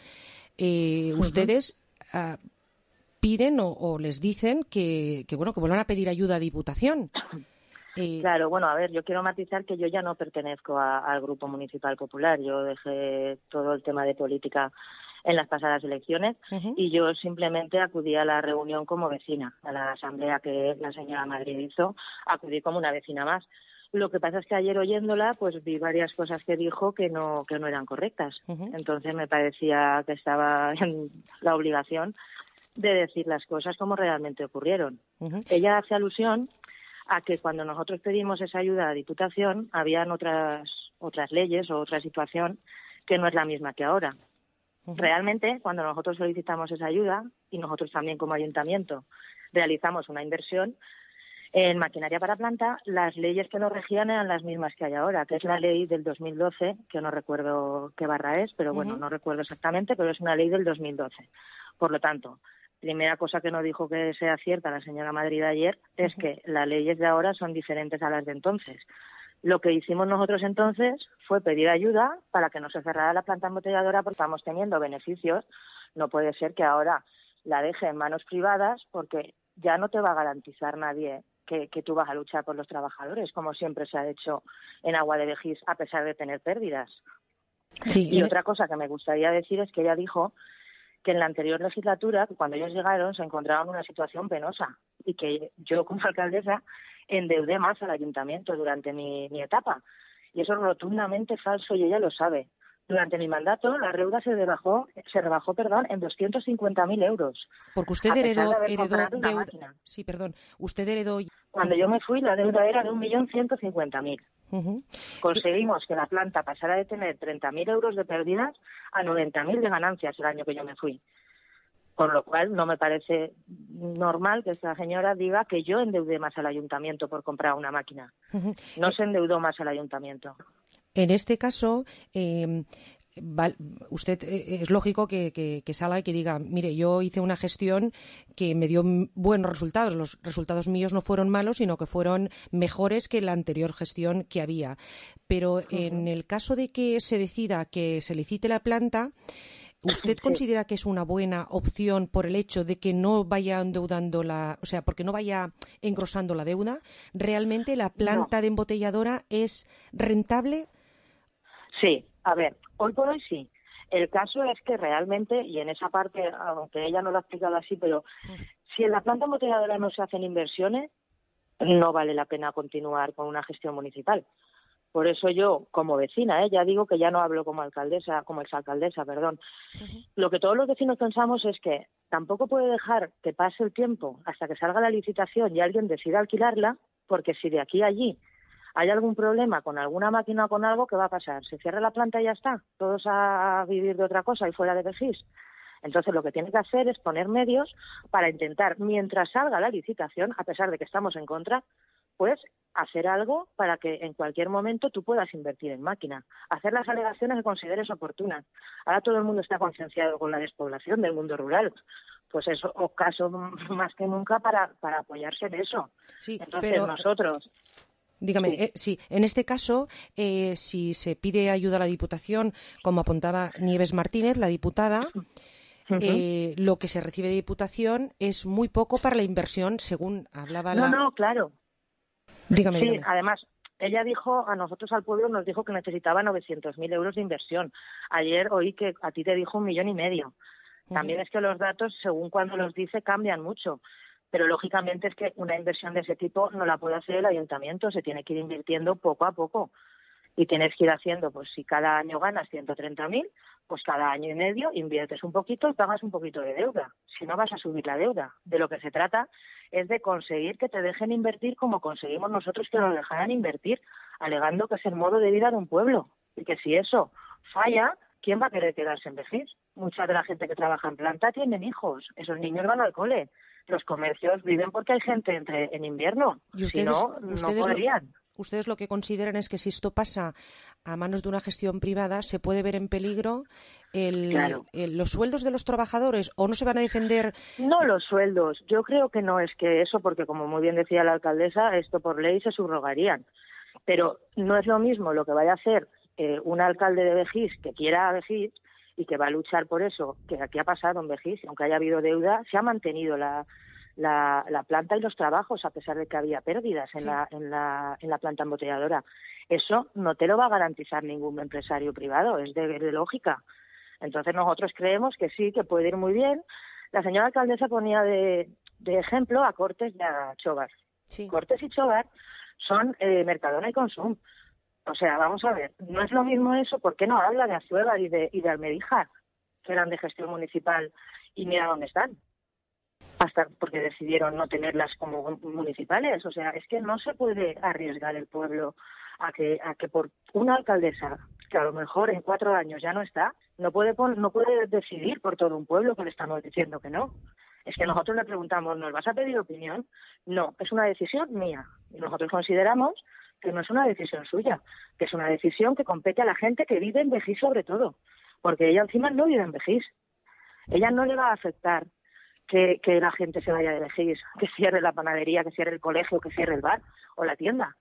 ustedes piden o les dicen que vuelvan a pedir ayuda a Diputación. Claro, bueno, a ver, yo quiero matizar que yo ya no pertenezco al Grupo Municipal Popular. Yo dejé todo el tema de política en las pasadas elecciones y yo simplemente acudí a la reunión como vecina, a la asamblea que la señora Madrid hizo, acudí como una vecina más. Lo que pasa es que ayer oyéndola pues vi varias cosas que dijo que no eran correctas. Entonces me parecía que estaba en la obligación de decir las cosas como realmente ocurrieron. Ella hace alusión a que cuando nosotros pedimos esa ayuda a Diputación habían otras leyes o otra situación que no es la misma que ahora. Realmente, cuando nosotros solicitamos esa ayuda, y nosotros también como ayuntamiento realizamos una inversión en maquinaria para planta, las leyes que nos regían eran las mismas que hay ahora, que es la ley del 2012, que no recuerdo qué barra es, pero bueno, no recuerdo exactamente, pero es una ley del 2012. Por lo tanto, primera cosa que no dijo que sea cierta la señora Madrid ayer es que las leyes de ahora son diferentes a las de entonces. Lo que hicimos nosotros entonces fue pedir ayuda para que no se cerrara la planta embotelladora porque estamos teniendo beneficios. No puede ser que ahora la deje en manos privadas porque ya no te va a garantizar nadie que tú vas a luchar por los trabajadores, como siempre se ha hecho en Agua de Begís, a pesar de tener pérdidas. Sí, y otra cosa que me gustaría decir es que ella dijo que en la anterior legislatura, cuando ellos llegaron, se encontraban en una situación penosa y que yo como alcaldesa endeudé más al ayuntamiento durante mi etapa. Y eso es rotundamente falso y ella lo sabe. Durante mi mandato, la deuda se rebajó en 250.000 euros. Porque usted heredó deuda. Sí, perdón. Usted heredó Cuando yo me fui, la deuda era de 1.150.000. Conseguimos que la planta pasara de tener 30.000 euros de pérdidas a 90.000 de ganancias el año que yo me fui. Con lo cual, no me parece normal que esta señora diga que yo endeudé más al ayuntamiento por comprar una máquina. No se endeudó más al ayuntamiento. En este caso, usted es lógico que salga y que diga, mire, yo hice una gestión que me dio buenos resultados. Los resultados míos no fueron malos, sino que fueron mejores que la anterior gestión que había. Pero en el caso de que se decida que se licite la planta, ¿usted considera que es una buena opción por el hecho de que no vaya endeudando porque no vaya engrosando la deuda? ¿Realmente la planta de embotelladora es rentable? Sí, a ver, hoy por hoy sí. El caso es que realmente, y en esa parte, aunque ella no lo ha explicado así, pero si en la planta embotelladora no se hacen inversiones, no vale la pena continuar con una gestión municipal. Por eso yo, como vecina, ya digo que ya no hablo como exalcaldesa, perdón. Lo que todos los vecinos pensamos es que tampoco puede dejar que pase el tiempo hasta que salga la licitación y alguien decida alquilarla, porque si de aquí a allí hay algún problema con alguna máquina o con algo, ¿qué va a pasar? ¿Se cierra la planta y ya está? ¿Todos a vivir de otra cosa y fuera de Begís? Entonces lo que tiene que hacer es poner medios para intentar, mientras salga la licitación, a pesar de que estamos en contra, pues hacer algo para que en cualquier momento tú puedas invertir en máquina, hacer las alegaciones que consideres oportunas. Ahora todo el mundo está concienciado con la despoblación del mundo rural, pues es caso más que nunca para apoyarse en eso. Sí, entonces pero nosotros... Dígame, sí, en este caso, si se pide ayuda a la Diputación, como apuntaba Nieves Martínez, la diputada, lo que se recibe de Diputación es muy poco para la inversión, según hablaba No, claro. Dígame. Además, ella dijo, a nosotros al pueblo nos dijo que necesitaba 900.000 euros de inversión. Ayer oí que a ti te dijo 1,5 millones. También es que los datos, según cuando los dice, cambian mucho. Pero lógicamente es que una inversión de ese tipo no la puede hacer el ayuntamiento, se tiene que ir invirtiendo poco a poco. Y tienes que ir haciendo, pues si cada año ganas 130.000, pues cada año y medio inviertes un poquito y pagas un poquito de deuda. Si no vas a subir la deuda. De lo que se trata es de conseguir que te dejen invertir como conseguimos nosotros que nos dejaran invertir, alegando que es el modo de vida de un pueblo. Y que si eso falla, ¿quién va a querer quedarse en Begís? Mucha de la gente que trabaja en planta tienen hijos, esos niños van al cole. Los comercios viven porque hay gente en invierno, si no, no podrían. Ustedes lo que consideran es que si esto pasa a manos de una gestión privada, se puede ver en peligro los sueldos de los trabajadores, o no se van a defender. No los sueldos, yo creo que no es que eso, porque como muy bien decía la alcaldesa, esto por ley se subrogarían. Pero no es lo mismo lo que vaya a hacer un alcalde de Begís que quiera a Begís y que va a luchar por eso, que aquí ha pasado en Begís, aunque haya habido deuda, se ha mantenido la planta y los trabajos, a pesar de que había pérdidas en la planta embotelladora. Eso no te lo va a garantizar ningún empresario privado, es de lógica. Entonces nosotros creemos que sí, que puede ir muy bien. La señora alcaldesa ponía de ejemplo a Cortes y a Chobar. Sí. Cortes y Chobar son Mercadona y Consum. O sea, vamos a ver, no es lo mismo eso, ¿por qué no habla de Assuévar y de Almedíjar, que eran de gestión municipal, y mira dónde están? Hasta porque decidieron no tenerlas como municipales. O sea, es que no se puede arriesgar el pueblo a que por una alcaldesa, que a lo mejor en 4 años ya no está, no puede decidir por todo un pueblo, que le estamos diciendo que no. Es que nosotros le preguntamos, ¿nos vas a pedir opinión? No, es una decisión mía. Y nosotros consideramos que no es una decisión suya, que es una decisión que compete a la gente que vive en Begís sobre todo, porque ella encima no vive en Begís. Ella no le va a afectar que la gente se vaya de Begís, que cierre la panadería, que cierre el colegio, que cierre el bar o la tienda.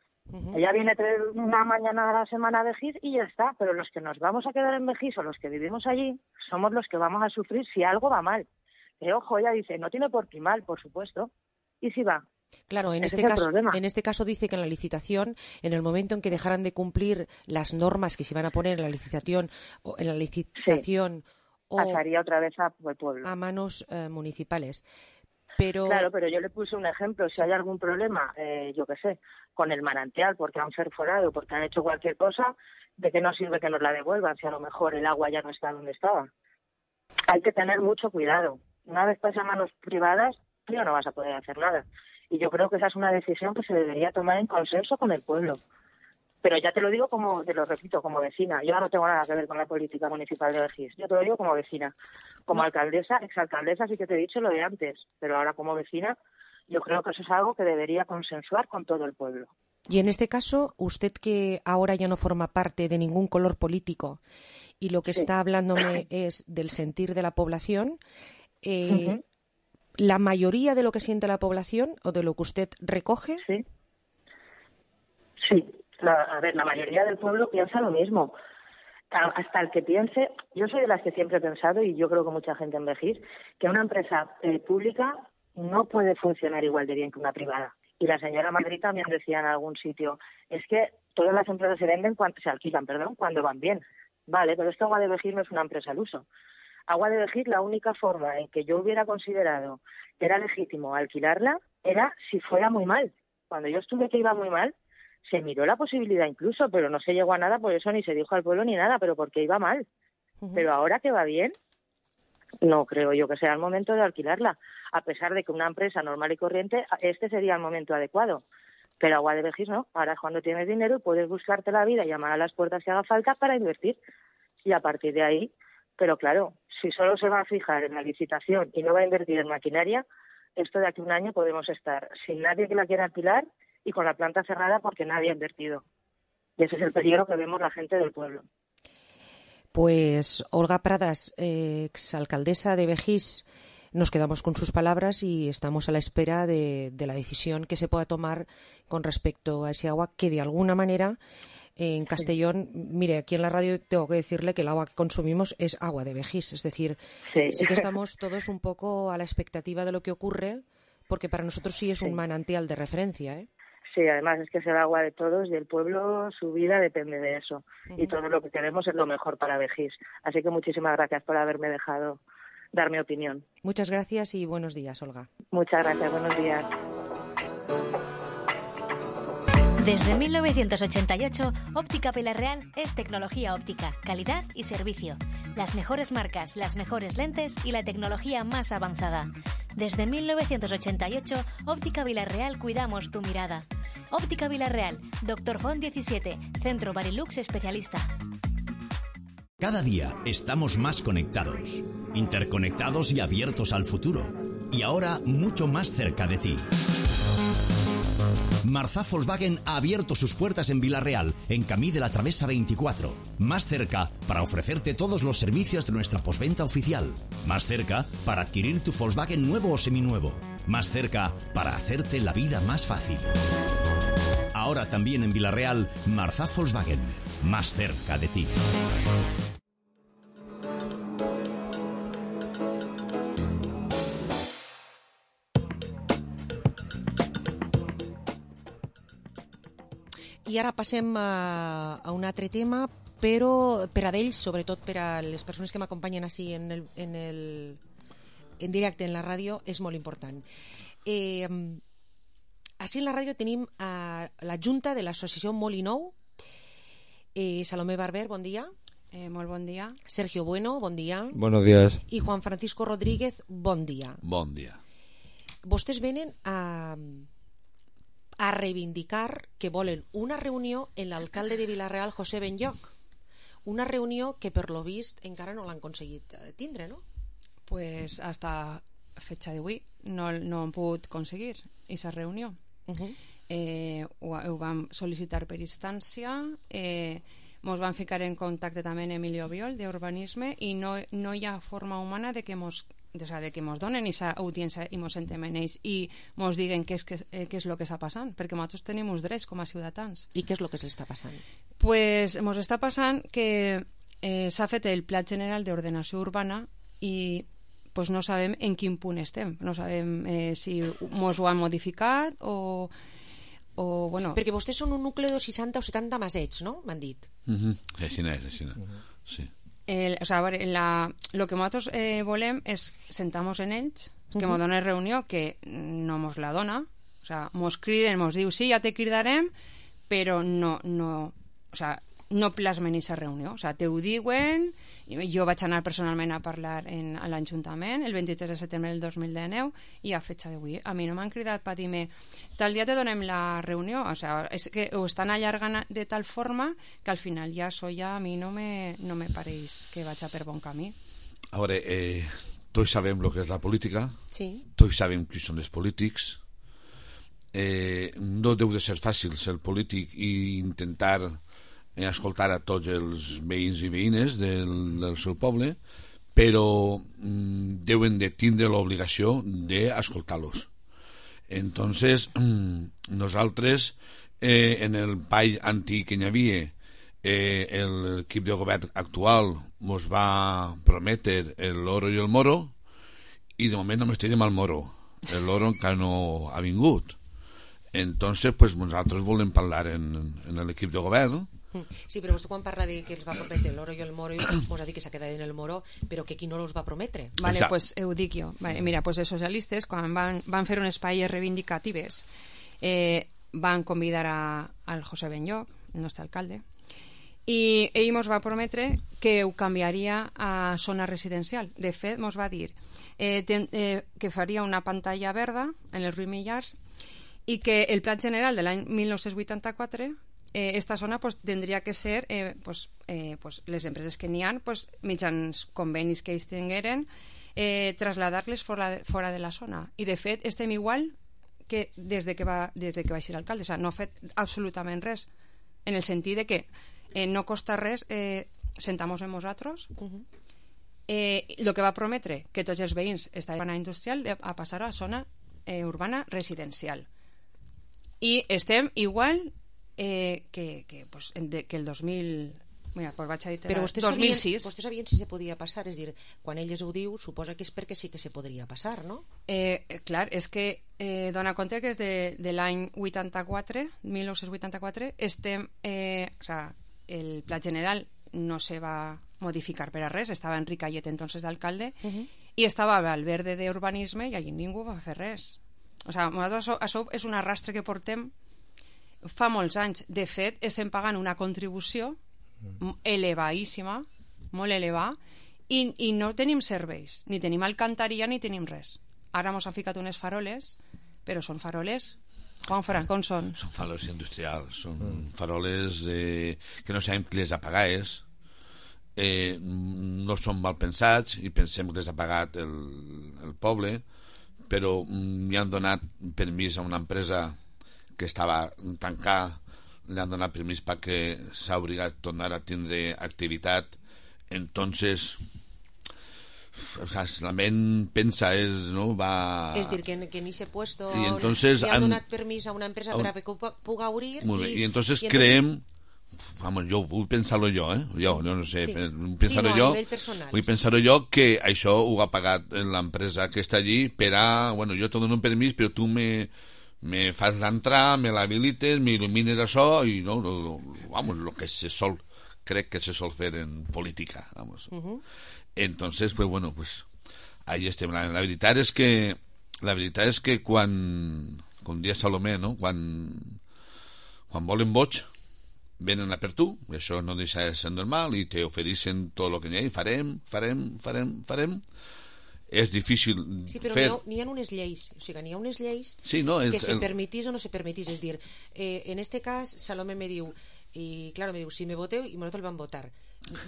Ella viene una mañana a la semana a Begís y ya está, pero los que nos vamos a quedar en Begís o los que vivimos allí somos los que vamos a sufrir si algo va mal. Ojo, ella dice, no tiene por qué mal, por supuesto, y si va. Claro, en este caso dice que en la licitación, en el momento en que dejaran de cumplir las normas que se iban a poner en la licitación pasaría otra vez al pueblo, a manos municipales. Pero... Claro, pero yo le puse un ejemplo. Si hay algún problema, yo qué sé, con el manantial, porque han perforado, porque han hecho cualquier cosa, ¿de qué nos sirve que nos la devuelvan si a lo mejor el agua ya no está donde estaba? Hay que tener mucho cuidado. Una vez pasa a manos privadas, tú ya no vas a poder hacer nada. Y yo creo que esa es una decisión que se debería tomar en consenso con el pueblo. Pero ya te lo digo te lo repito, como vecina. Yo no tengo nada que ver con la política municipal de Begís. Yo te lo digo como vecina. Como alcaldesa, exalcaldesa, sí que te he dicho lo de antes. Pero ahora como vecina, yo creo que eso es algo que debería consensuar con todo el pueblo. Y en este caso, usted que ahora ya no forma parte de ningún color político y lo que está hablándome es del sentir de la población, ¿la mayoría de lo que siente la población o de lo que usted recoge? Sí. La mayoría del pueblo piensa lo mismo. Hasta el que piense, yo soy de las que siempre he pensado, y yo creo que mucha gente en Begís, que una empresa pública no puede funcionar igual de bien que una privada. Y la señora Madrid también decía en algún sitio, es que todas las empresas se alquilan cuando van bien. Vale, pero esto Agua de Begís no es una empresa al uso. Agua de Begís, la única forma en que yo hubiera considerado que era legítimo alquilarla era si fuera muy mal. Cuando yo estuve que iba muy mal, se miró la posibilidad incluso, pero no se llegó a nada, por eso ni se dijo al pueblo ni nada, pero porque iba mal. Pero ahora que va bien, no creo yo que sea el momento de alquilarla, a pesar de que una empresa normal y corriente, este sería el momento adecuado. Pero Agua de Begís no, ahora es cuando tienes dinero y puedes buscarte la vida, llamar a las puertas que haga falta para invertir. Y a partir de ahí, pero claro, si solo se va a fijar en la licitación y no va a invertir en maquinaria, esto de aquí a un año podemos estar sin nadie que la quiera alquilar y con la planta cerrada porque nadie ha invertido. Y ese es el peligro que vemos la gente del pueblo. Pues Olga Pradas, exalcaldesa de Begís, nos quedamos con sus palabras y estamos a la espera de la decisión que se pueda tomar con respecto a ese agua que de alguna manera en Castellón, mire, aquí en la radio tengo que decirle que el agua que consumimos es agua de Begís, es decir, sí que estamos todos un poco a la expectativa de lo que ocurre, porque para nosotros sí es un manantial de referencia, ¿eh? Sí, además es que es el agua de todos y el pueblo, su vida depende de eso. Y todo lo que queremos es lo mejor para Begís. Así que muchísimas gracias por haberme dejado dar mi opinión. Muchas gracias y buenos días, Olga. Muchas gracias, buenos días. Desde 1988, Óptica Vilarreal es tecnología óptica, calidad y servicio. Las mejores marcas, las mejores lentes y la tecnología más avanzada. Desde 1988, Óptica Vilarreal cuidamos tu mirada. Óptica Vilarreal, Dr. Font 17, Centro Barilux especialista. Cada día estamos más conectados, interconectados y abiertos al futuro. Y ahora mucho más cerca de ti. Marzá Volkswagen ha abierto sus puertas en Vilarreal, en Camí de la Travesa 24. Más cerca para ofrecerte todos los servicios de nuestra postventa oficial. Más cerca para adquirir tu Volkswagen nuevo o seminuevo. Más cerca para hacerte la vida más fácil. Ahora también en Vilarreal, Marzá Volkswagen. Más cerca de ti. I ara passem a un altre tema, però per a d'ells, sobretot per a les persones que m'acompanyen així en directe en la ràdio, és molt important. Així en la ràdio tenim a la Junta de l'Associació Molinou. Salomé Barber, bon dia. Molt bon dia. Sergio Bueno, bon dia. Buenos días. I Juan Francisco Rodríguez, bon dia. Bon dia. Vostès venen a reivindicar que volen una reunió en l'alcalde de Vilarreal, José Benlloch. Una reunió que, per lo vist, encara no l'han aconseguit tindre, no? Pues hasta fecha d'avui no hem pogut aconseguir aquesta reunió. Ho vam sol·licitar per instància, ens vam ficar en contacte també amb Emilio Biol d'Urbanisme i no hi ha forma humana de que ens donen aquesta audiència i ens sentem en ells i ens diguen què és el que està passant, perquè nosaltres tenim uns drets com a ciutadans. I què és el que s'està passant? Pues ens està passant que s'ha fet el Pla General d'Ordenació Urbana i pues no sabem en quin punt estem, no sabem si ens ho han modificat o bueno... Perquè vostès són un nucli de 60 o 70 masets, no? M'han dit. Així és. Sí. O sea, lo que nosaltres volem és sentar-nos en ells, que ens donen reunió, que no ens la dona, o sea, ens criden, ens diu sí, ja te cridarem, però no o sea, no plasmen aquesta reunió, o sigui, te ho diuen, jo vaig anar personalment a parlar a l'Ajuntament el 23 de setembre del 2019 i a fetge d'avui a mi no m'han cridat per dir-me tal dia te donem la reunió, o sigui, és que ho estan allargant de tal forma que al final ja això ja a mi no me pareix que vaig a per bon camí. A veure, tots sabem el que és la política, sí. Tots sabem qui són els polítics, no deu de ser fàcil ser polític i intentar escoltar a tots els veïns i veïnes del seu poble, però deuen de tindre l'obligació d'escoltar-los. Entonces, nosaltres, en el pall antic que hi havia, l'equip de govern actual ens va prometre l'oro i el moro, i de moment només tenim el moro. L'oro encara no ha vingut. Entonces, pues, nosaltres volem parlar en l'equip de govern. Sí, però vostè quan parla de que els va prometre l'oro i el moro, ens ha dit que s'ha quedat en el moro, però que qui no els va prometre? Vale, pues ho dic jo. Vale, mira, pues els socialistes, quan van fer un espai reivindicatives, van convidar al José Benlloc, el nostre alcalde, i ell ens va prometre que ho canviaria a zona residencial. De fet, ens va dir que faria una pantalla verda en els Ruiz Millars i que el pla general de l'any 1984 esta zona pues, tendria que ser pues, les empreses que n'hi ha pues, mitjans convenis que ells tingueren traslladar-les fora de la zona, i de fet estem igual que des que va ser l'alcalde, o sigui, no ha fet absolutament res en el sentit de que no costa res sentar-nos amb nosaltres. El que va prometre que tots els veïns estaven a industrial a passar a zona urbana residencial, i estem igual que el 2000. Mira, pues vaig a dir però 2006. Vostès sabien si se podia passar, és dir, quan elles ho diu suposa que és perquè sí que se podria passar, no? Clar, és que dona compte que és de l'any 84, 1984, estem, o sea, el pla general no se va modificar per a res, estava Enric Ayet entonces d'alcalde, i estava Valverde d'urbanisme i allí ningú va fer res. O sea, nosaltres això és un arrastre que portem fa molts anys. De fet, estem pagant una contribució elevadíssima, molt elevada, i no tenim serveis, ni tenim alcantarilla ni tenim res. Ara ens han ficat unes faroles, però són faroles, Juan Fran, com són? Són faroles industrials, són faroles que no sabem qui les ha pagat, no són mal pensats i pensem que les ha pagat el poble, però li han donat permís a una empresa que estava tancada, li han donat permís perquè s'ha obligat a tornar a tindre activitat. Entonces, o sea, la ment pensa és dir, que en aquest puesto y entonces li han donat permís a una empresa per a que puga obrir y entonces creem, vamos, jo vull pensar-lo jo, jo no sé, vull pensar-ho jo que això ho ha pagat l'empresa que està allí per a, bueno, jo te dono un permís però tu me fas l'entrar, me l'habilites, m'il·lumines això i no, vamos, lo que se sol, crec que se sol fer en política, vamos. Entonces, pues bueno, pues ahí estem. La veritat és que quan, com dia Salomé, no? Quan volen boig venen a per tu, això no deixa de ser normal i te ofereixen tot el que n'hi ha, farem. És difícil fer... Sí, però n'hi ha unes lleis, o sigui, n'hi ha unes lleis que se permetís o no se permetís, és dir, en este cas Salomé me diu, i claro, me diu, si me voteu i nosaltres el vam votar.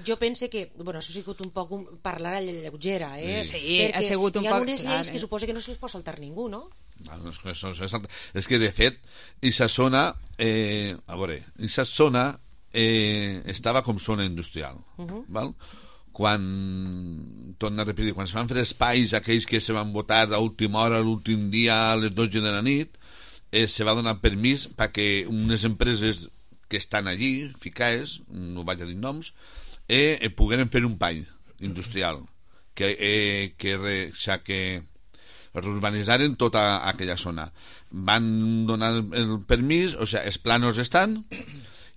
Jo pense que, bueno, això ha sigut un poc parlar a la lleugera, Sí, ha sigut un poc... Perquè hi ha unes lleis que suposa que no se les pot saltar ningú, no? És que de fet aquesta zona estava com zona industrial, val? Quan torna a repetir, quan se van fer espais aquells que se van votar a última hora, l'últim dia a les 12 de la nit, se va donar permís perquè unes empreses que estan allí ficades, no vaig a dir noms, pogueren fer un pany industrial que urbanitzaren tota aquella zona. Van donar el permís, o sigui, els planos estan,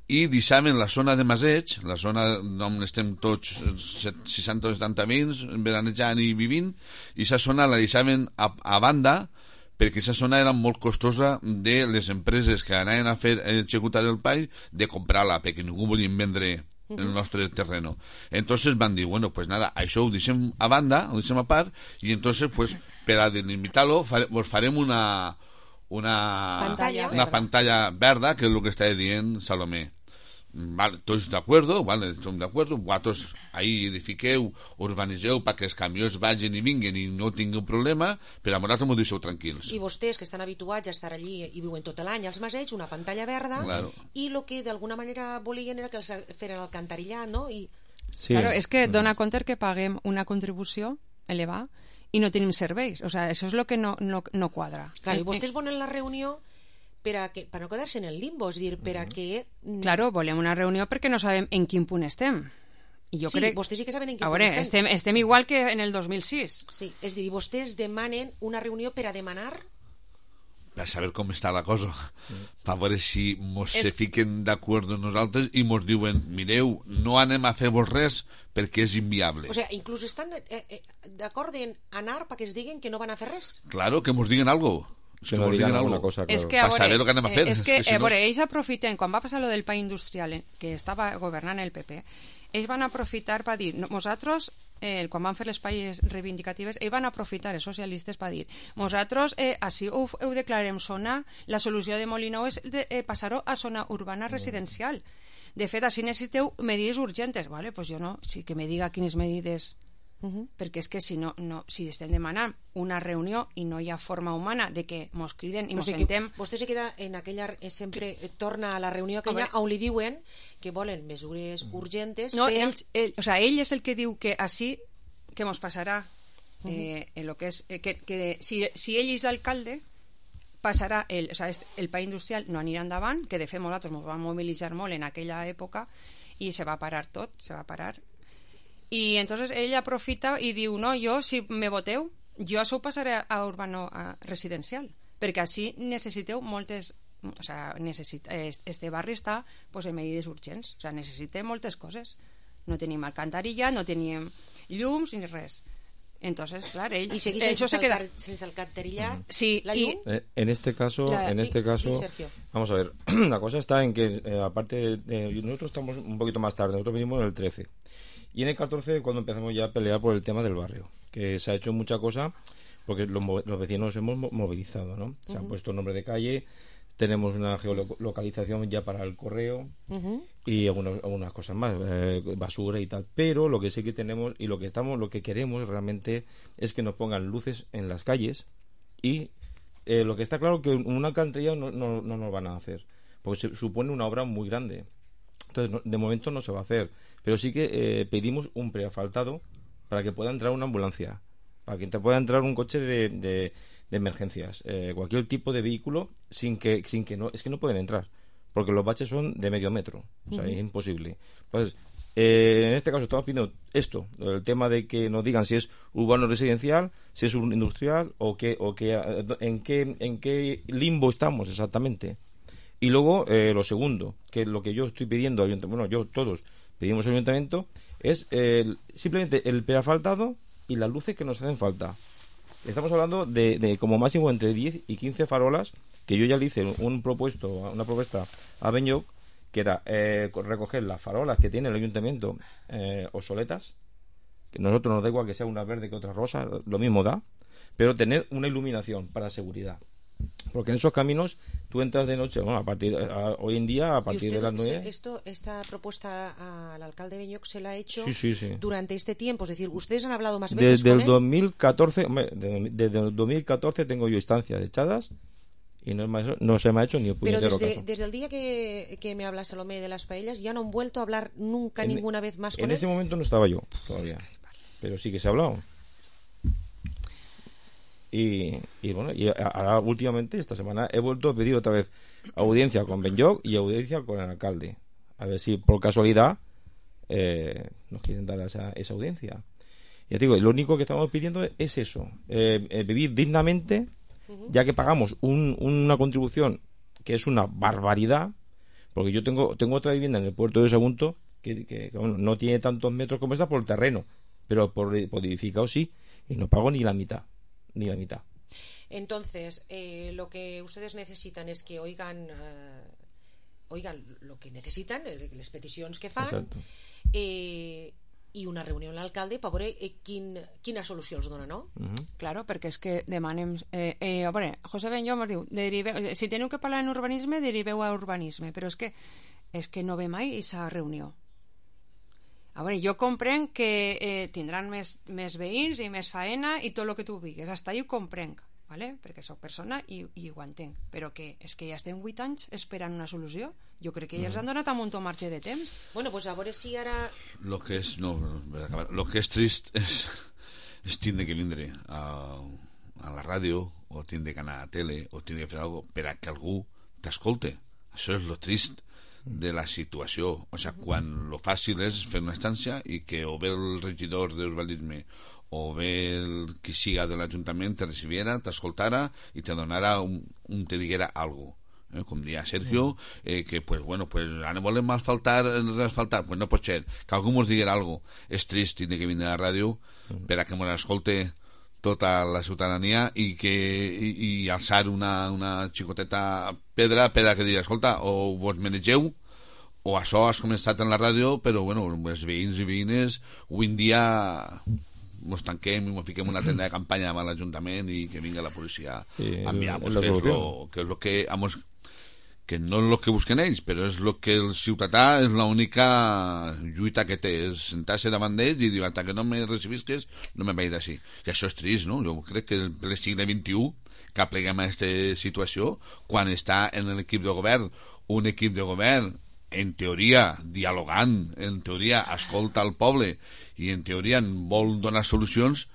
i deixaven la zona de Maseig, la zona on estem tots 60 o 70 veïns veranejant i vivint, i aquesta zona la deixaven a banda perquè aquesta zona era molt costosa de les empreses que anaven a executar el PAI de comprar-la, perquè ningú volien vendre el nostre terreno. Entonces van dir, bueno, pues nada, això ho deixem a banda, ho deixem a part, i entonces, pues, per a delimitar-lo, farem una pantalla verda, que és el que està dient Salomé. Vale, tots d'acord, vale, som d'acord, vosaltres ahí edifiqueu, urbaniseu perquè els camions vagin i vinguen i no tingueu problema, però a vosaltres m'ho deixeu tranquils. I vostès que estan habituats a estar allí i viuen tot l'any als Maseigs, una pantalla verda, claro. I el que d'alguna manera volien era que els feren alcantarillat, no? I... Sí. Claro, és que dona compte que paguem una contribució elevada i no tenim serveis, o sea, això és el que no quadra. Claro, i vostès volen la reunió per no quedar-se en el limbo, és dir, per a que... Claro, volem una reunió perquè no sabem en quin punt estem. I jo crec... vostès sí que saben en quin punt estem. Estem igual que en el 2006. Sí, és dir, vostès demanen una reunió per a demanar... Per saber com està la cosa, per veure si mos se fiquen d'acord amb nosaltres i mos diuen, mireu, no anem a fer-vos res perquè és inviable. O sigui, inclús estan d'acord en anar perquè es diguen que no van a fer res. Claro, que mos diguen alguna cosa. Que no digan alguna cosa, claro. Es que para saber lo que anem a fer. És que ells aprofiten, quan va passar lo del PAI industrial, que estava governant el PP, ells van aprofitar per dir, nosaltres, quan van fer les paies reivindicatives, ells van aprofitar els socialistes per dir, nosaltres, així ho declarem zona, la solució de Molinou és passar-ho a zona urbana residencial. De fet, així necessiteu medides urgentes. Vale, pues jo no, sí que me diga quines medides... perquè és que si estem demanant una reunió i no hi ha forma humana de que mos criden i mos sentem... Vostè se queda en aquella... sempre torna a la reunió aquella on li diuen que volen mesures urgentes no, ell és el que diu que així que mos passarà lo que és que si ell és d'alcalde passarà el PAI industrial no anirà endavant, que de fet nosaltres ens vam mobilitzar molt en aquella època i se va parar tot, i entonces ell aprofita i diu, no, jo si me voteu jo això ho passaré a urbano residencial, perquè així necessiteu moltes, o sea, este barri està pues, en medides urgents, o sea, necessitem moltes coses, no tenim alcantarilla, no tenim llums ni res. Entonces, claro, y seguís sense alcantarilla, sí, la llum. En este caso, vamos a ver, la cosa está en que aparte nosotros estamos un poquito más tarde, nosotros venimos en el 13 y en el 14 cuando empezamos ya a pelear por el tema del barrio, que se ha hecho mucha cosa porque los vecinos hemos movilizado, ¿no? Se han puesto nombre de calle, tenemos una geolocalización ya para el correo y algunas cosas más, basura y tal, pero lo que sí que tenemos y lo que queremos realmente es que nos pongan luces en las calles y lo que está claro que una alcantarilla no nos van a hacer porque supone una obra muy grande, entonces de momento no se va a hacer, pero sí que pedimos un preasfaltado para que pueda entrar una ambulancia, para que pueda entrar un coche de emergencias, cualquier tipo de vehículo sin que no pueden entrar porque los baches son de medio metro, o sea, es imposible. Entonces, en este caso estamos pidiendo esto, el tema de que nos digan si es urbano residencial, si es industrial o en qué limbo estamos exactamente. Y luego lo segundo, que es lo que yo estoy pidiendo al ayuntamiento, bueno, todos pedimos al ayuntamiento, es simplemente el preasfaltado y las luces que nos hacen falta. Estamos hablando de como máximo entre 10 y 15 farolas, que yo ya le hice una propuesta a Benyoc, que era recoger las farolas que tiene el ayuntamiento obsoletas, que a nosotros nos da igual que sea una verde que otra rosa, lo mismo da, pero tener una iluminación para seguridad. Porque en esos caminos tú entras de noche, bueno, hoy en día a partir de las 9. Esta propuesta al alcalde Benyoc se la ha hecho sí. durante este tiempo, es decir, ustedes han hablado más veces desde el 2014, desde el 2014 tengo yo instancias echadas y no se me ha hecho ni el puñetero caso. Pero desde el día que me habla Salomé de las paellas ya no han vuelto a hablar nunca ninguna vez más con él. En ese momento no estaba yo todavía, pero sí que se ha hablado. Y bueno, y ahora últimamente esta semana he vuelto a pedir otra vez audiencia con Benyoc y audiencia con el alcalde, a ver si por casualidad nos quieren dar esa audiencia. Ya te digo, lo único que estamos pidiendo es eso, vivir dignamente, ya que pagamos una contribución que es una barbaridad, porque yo tengo otra vivienda en el puerto de Sagunto que bueno, no tiene tantos metros como esta por el terreno, pero por edificado sí, y no pago ni la mitad. Entonces, lo que ustedes necesitan es que oigan lo que necesitan, les peticions que fan, i una reunió amb l'alcalde per veure quina solució els dona, no? Claro, perquè és que demanem... a veure, José Benjó ens diu, si teniu que parlar en urbanisme, deriveu a urbanisme, però és que no ve mai aquesta reunió. A veure, jo comprenc que tindran més veïns i més faena i tot el que tu digues, hasta ahí ho comprenc, ¿vale? Perquè soc persona i ho entenc, però que és que ja estem 8 anys esperant una solució. Jo crec que ja els han donat un munt de marge de temps. Bueno, pues a veure si ara... Lo que és trist és tindre que vindre a la ràdio o tindre que anar a la tele o tindre que fer alguna cosa per a que algú t'escolte. Això és lo trist de la situació. O sea, quan lo fàcil és fer una instància i que o bé el regidor d'urbanisme o bé qui siga de l'Ajuntament te recibiera, t'escoltara i te donara te diguera algo. Com dia Sergio, que pues bueno, pues ara volem asfaltar, pues no pot ser, que algú mos diguera algo. És trist tindre que vindre a la ràdio per a que mos escolte tota la ciutadania i alçar una xicoteta pedra per a que digui, escolta, o vos manegeu o això has començat en la ràdio, però bueno, els veïns i veïnes avui en dia ens tanquem i ens fiquem una tenda de campanya amb l'Ajuntament i que vinga la policia a enviar-nos, que és el que no és el que busquen ells, però és el que el ciutadà és l'única lluita que té, és sentar-se davant d'ells i dir, hasta que no me recibisques no me vaig d'ací. I això és trist, no? Jo crec que el segle XXI que apleguem a aquesta situació quan està en l'equip de govern un equip de govern en teoria dialogant, en teoria escolta el poble i en teoria vol donar solucions,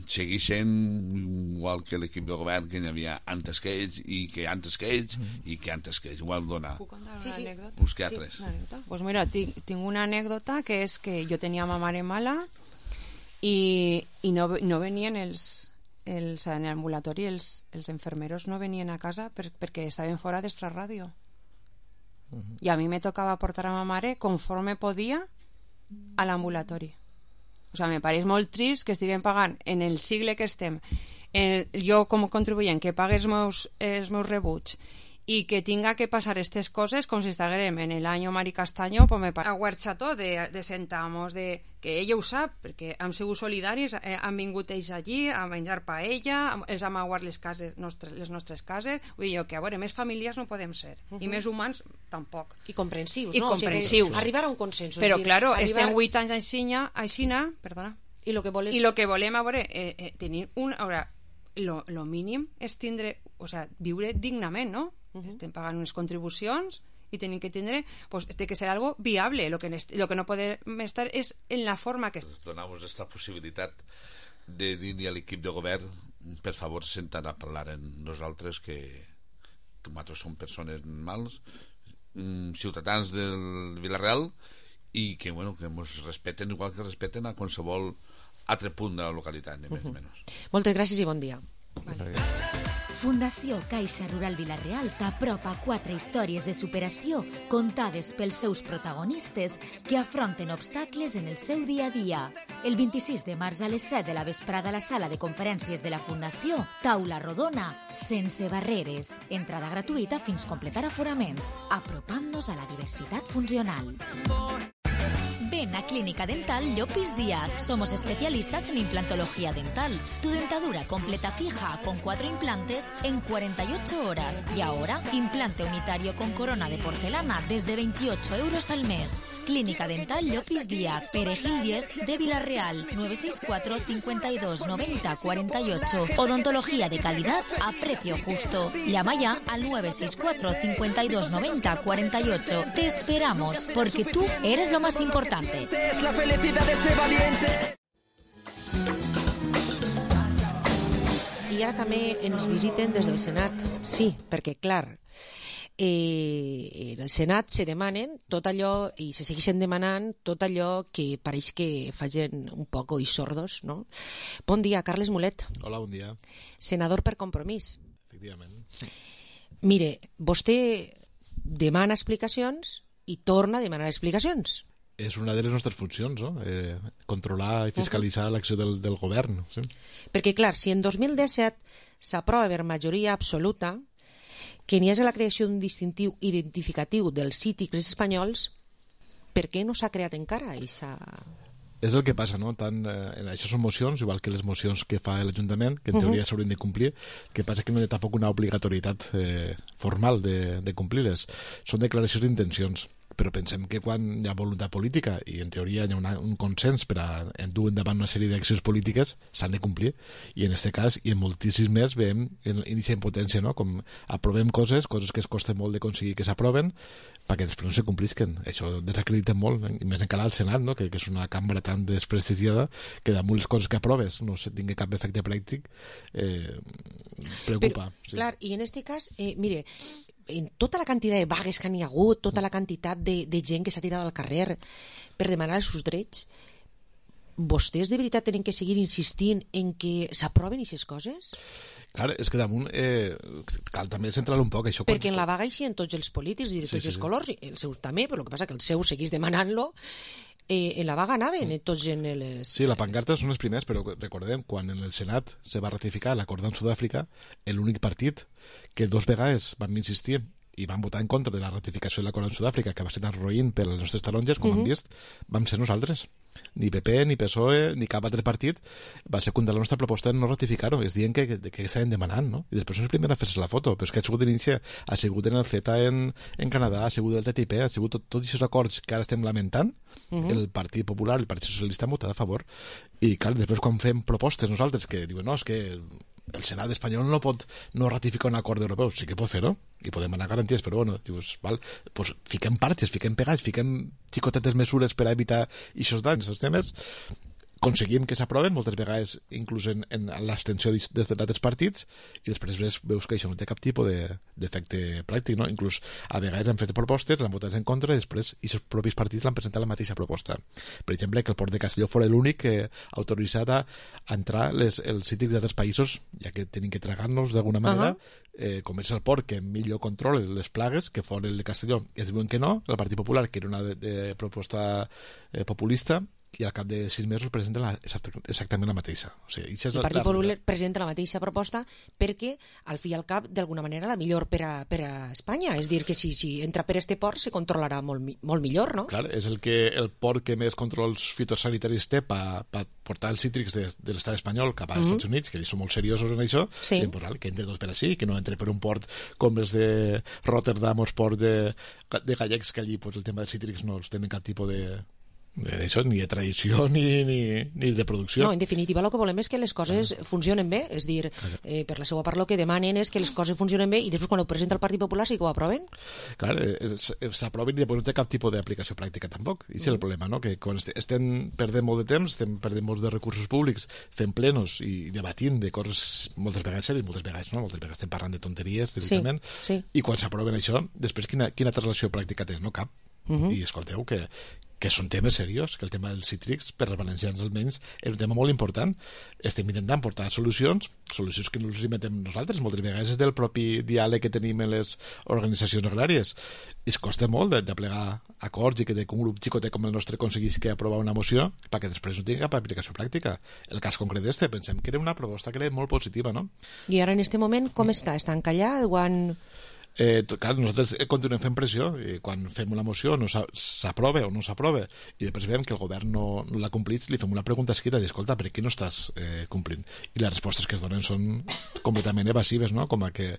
segueix sent igual que l'equip de govern que hi havia antes que ells i que antes que ells i que antes que ells. Igual dona. Puc contar una anècdota? Busqué altres. Pues mira, tinc una anècdota que és que jo tenia ma mare mala i no venien en l'ambulatori els enfermeros no venien a casa perquè estaven fora d'Extraràdio. I a mi me tocava portar a ma mare conforme podia a l'ambulatori. O sea, me pareix molt trist que estiguem pagant en el sigle que estem, jo com a contribuent que pague els meus rebuts i que tinga que passar aquestes coses com si estiguem en l'any Mari Castaño, pues me pareix aguarxató de sentamos, que ella ho sap, perquè hem sigut solidaris, han vingut ells allí a menjar paella, els hem aguat les nostres cases, vull dir que a veure, més famílies no podem ser, i més humans tampoc. I comprensius, no? O sigui, arribar a un consenso. Però, claro, estem 8 anys aixina, perdona, i lo que volem, a veure, tenir lo mínim és tindre, o sea, viure dignament, no? Estem pagant unes contribucions y tienen que tener, pues tiene que ser algo viable. Lo que no puede estar es en la forma que... Donamos esta possibilitat de dir-li a l'equip de govern, per favor, sentar a parlar en nosaltres, que nosaltres som persones normals, ciutadans del Vila-real, i que, bueno, que ens respeten igual que respeten a qualsevol altre punt de la localitat, ni més ni menys. Moltes gràcies i bon dia. Fundació Caixa Rural Vila-real t'apropa 4 històries de superació contades pels seus protagonistes que afronten obstacles en el seu dia a dia. El 26 de març a les 7 de la vesprada a la sala de conferències de la Fundació, taula rodona, sense barreres. Entrada gratuïta fins completar aforament. Apropant-nos a la diversitat funcional. Ven a Clínica Dental Llopis Díaz. Somos especialistas en implantología dental. Tu dentadura completa fija con 4 implantes en 48 horas. Y ahora, implante unitario con corona de porcelana desde 28 euros al mes. Clínica Dental Llopis Díaz, Perejil 10 de Vila-real, 964 52 90 48. Odontología de calidad a precio justo. Llama ya al 964 52 90 48. Te esperamos, porque tú eres lo más importante. Es la felicidad de este valiente. I ara també ens visiten des del Senat. Sí, perquè, clar, en el Senat se demanen tot allò, i se segueixen demanant tot allò que pareix que facin un poc oïts sordos, no? Bon dia, Carles Mulet. Hola, bon dia. Senador per Compromís. Efectivament. Mire, vostè demana explicacions i torna a demanar explicacions. és una de les nostres funcions, no? Controlar i fiscalitzar l'acció del govern. Sí? Perquè, clar, si en 2017 s'aprova per majoria absoluta que n'hi hagi la creació d'un distintiu identificatiu dels cítrics espanyols, per què no s'ha creat encara aquesta... És el que passa, no? Això són mocions, igual que les mocions que fa l'Ajuntament, que en teoria s'haurien de complir, que passa que no hi ha tampoc una obligatorietat formal de complir-les. Són declaracions d'intencions. Però pensem que quan hi ha voluntat política i en teoria hi ha un consens per a dur endavant una sèrie d'accions polítiques, s'han de complir. I en aquest cas, i en moltíssims més, veiem inicia impotència, no? Com aprovem coses que es costa molt d'aconseguir que s'aproven, perquè després no se complisquen. Això desacredita molt, i més encara al Senat, no? que és una cambra tan desprestigiada que damunt les coses que aproves no se tingui cap efecte pràctic, preocupa. Però, clar, i en aquest cas, mire, en tota la quantitat de vagues que n'hi ha hagut, tota la quantitat de gent que s'ha tirat al carrer per demanar els seus drets, vostès de veritat tenen que seguir insistint en que s'aproven aquestes coses? Clar, és que damunt cal també centrar-lo un poc. Això perquè en la vaga hi en tots els polítics i de tots els colors, i els seus també, però el que passa que el seu seguís demanant-lo. En la vaga anaven tots en les... Sí, la pancarta són els primers, però recordem, quan en el Senat se va ratificar l'acord amb Sud-àfrica, l'únic partit que 2 vegades van insistir i van votar en contra de la ratificació de l'acord amb Sud-àfrica, que va ser tan roïn per les nostres taronges, com han vist, vam ser nosaltres. Ni PP, ni PSOE, ni cap altre partit va secundar la nostra proposta de no ratificar-ho. És dient que estaven demanant, no? I després són els primers a fer-se la foto. Però és que ha sigut d'inici, ha sigut en el CETA en Canadà, ha sigut el TTIP, ha sigut tots aquests acords que ara estem lamentant, el Partit Popular, el Partit Socialista han votat a favor. I clar, després quan fem propostes nosaltres que diuen, no, és que el Senat espanyol no pot no ratificar un acord europeu, sí que pot fer-ho i podem anar garanties, però bueno, dius, val, pues fiquem parxes, fiquem pegats, fiquem xicotetes mesures per a evitar aquests danys, aquests temes, aconseguim que s'aproven, moltes vegades inclús en l'abstenció des d'altres partits, i després veus que això no té cap tipus d'efecte pràctic, no? Inclús a vegades han fet propostes, l'han votat en contra, i després aquests propis partits l'han presentat la mateixa proposta. Per exemple, que el port de Castelló fos l'únic que ha autoritzat a entrar els cítrics d'altres països, ja que tenim que tragar-nos d'alguna manera, com és el port que millor controla les plagues, que fos el de Castelló, i es diuen que no, el Partit Popular, que era una proposta populista, i al cap de 6 mesos presenta exactament la mateixa. O sigui, el Partit Popular presenta la mateixa proposta perquè, al fi i al cap, d'alguna manera, la millor per a Espanya. És dir, que si entra per este port se controlarà molt millor, no? Clar, és el port que més controls fitosanitaris té per portar els cítrics de l'estat espanyol cap als Estats Units, que són molt seriosos en això, i que entre tots per així, que no entre per un port com els de Rotterdam o els ports de gallecs, que allí el tema dels cítrics no els tenen cap tipus d'això, ni de tradició ni de producció. No, en definitiva el que volem és que les coses funcionen bé, és dir, per la seva part el que demanen és que les coses funcionen bé i després quan ho presenta el Partit Popular sí que ho aproven. Clar, s'aproven i després no té cap tipus d'aplicació pràctica tampoc, i és el problema, no? Que quan estem perdent molt de temps, estem perdent molts de recursos públics fent plenos i debatint de coses moltes vegades sèries, moltes vegades no, moltes vegades estem parlant de tonteries directament, i quan s'aproven això, després quina relació pràctica té? No cap. I escolteu que són temes serios, que el tema dels cítrics per als valencians almenys és un tema molt important. Estem intentant portar solucions que no les inventem nosaltres, moltes vegades és del propi diàleg que tenim en les organitzacions agràries. I es costa molt de plegar acords i que un grup xicotet com el nostre aconseguís que aprovar una moció perquè després no tingui cap aplicació pràctica. El cas concret pensem que era una proposta que era molt positiva, no? I ara en aquest moment com està? Està encallat? Clar, nosaltres continuem fent pressió i quan fem una moció no s'aprova o no s'aprova i després veiem que el govern no l'ha complit, li fem una pregunta escrita i escolta, per què no estàs complint? I les respostes que es donen són completament evasives, no? Com a que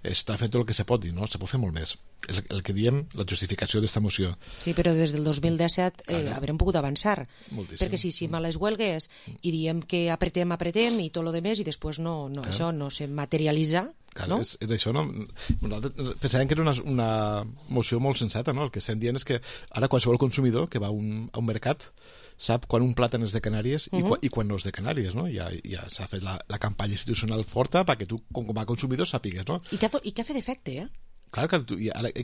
està fent tot el que se pot dir, no? Se pot fer molt més. És el que diem, la justificació d'esta moció. Sí, però des del 2017 haurem pogut avançar. Moltíssim. Perquè si a les huelgues i diem que apretem i tot el demés i després això no se materialitza. Clar, no? És això, no? Nosaltres pensàvem que era una moció molt sensata, no? El que estem dient és que ara qualsevol consumidor que va a un mercat sap quan un plàtan és de Canàries i quan no és de Canàries, no? Ja s'ha fet la campanya institucional forta perquè tu, com a consumidor, sàpigues, no? I que ha fet efecte, Clar, que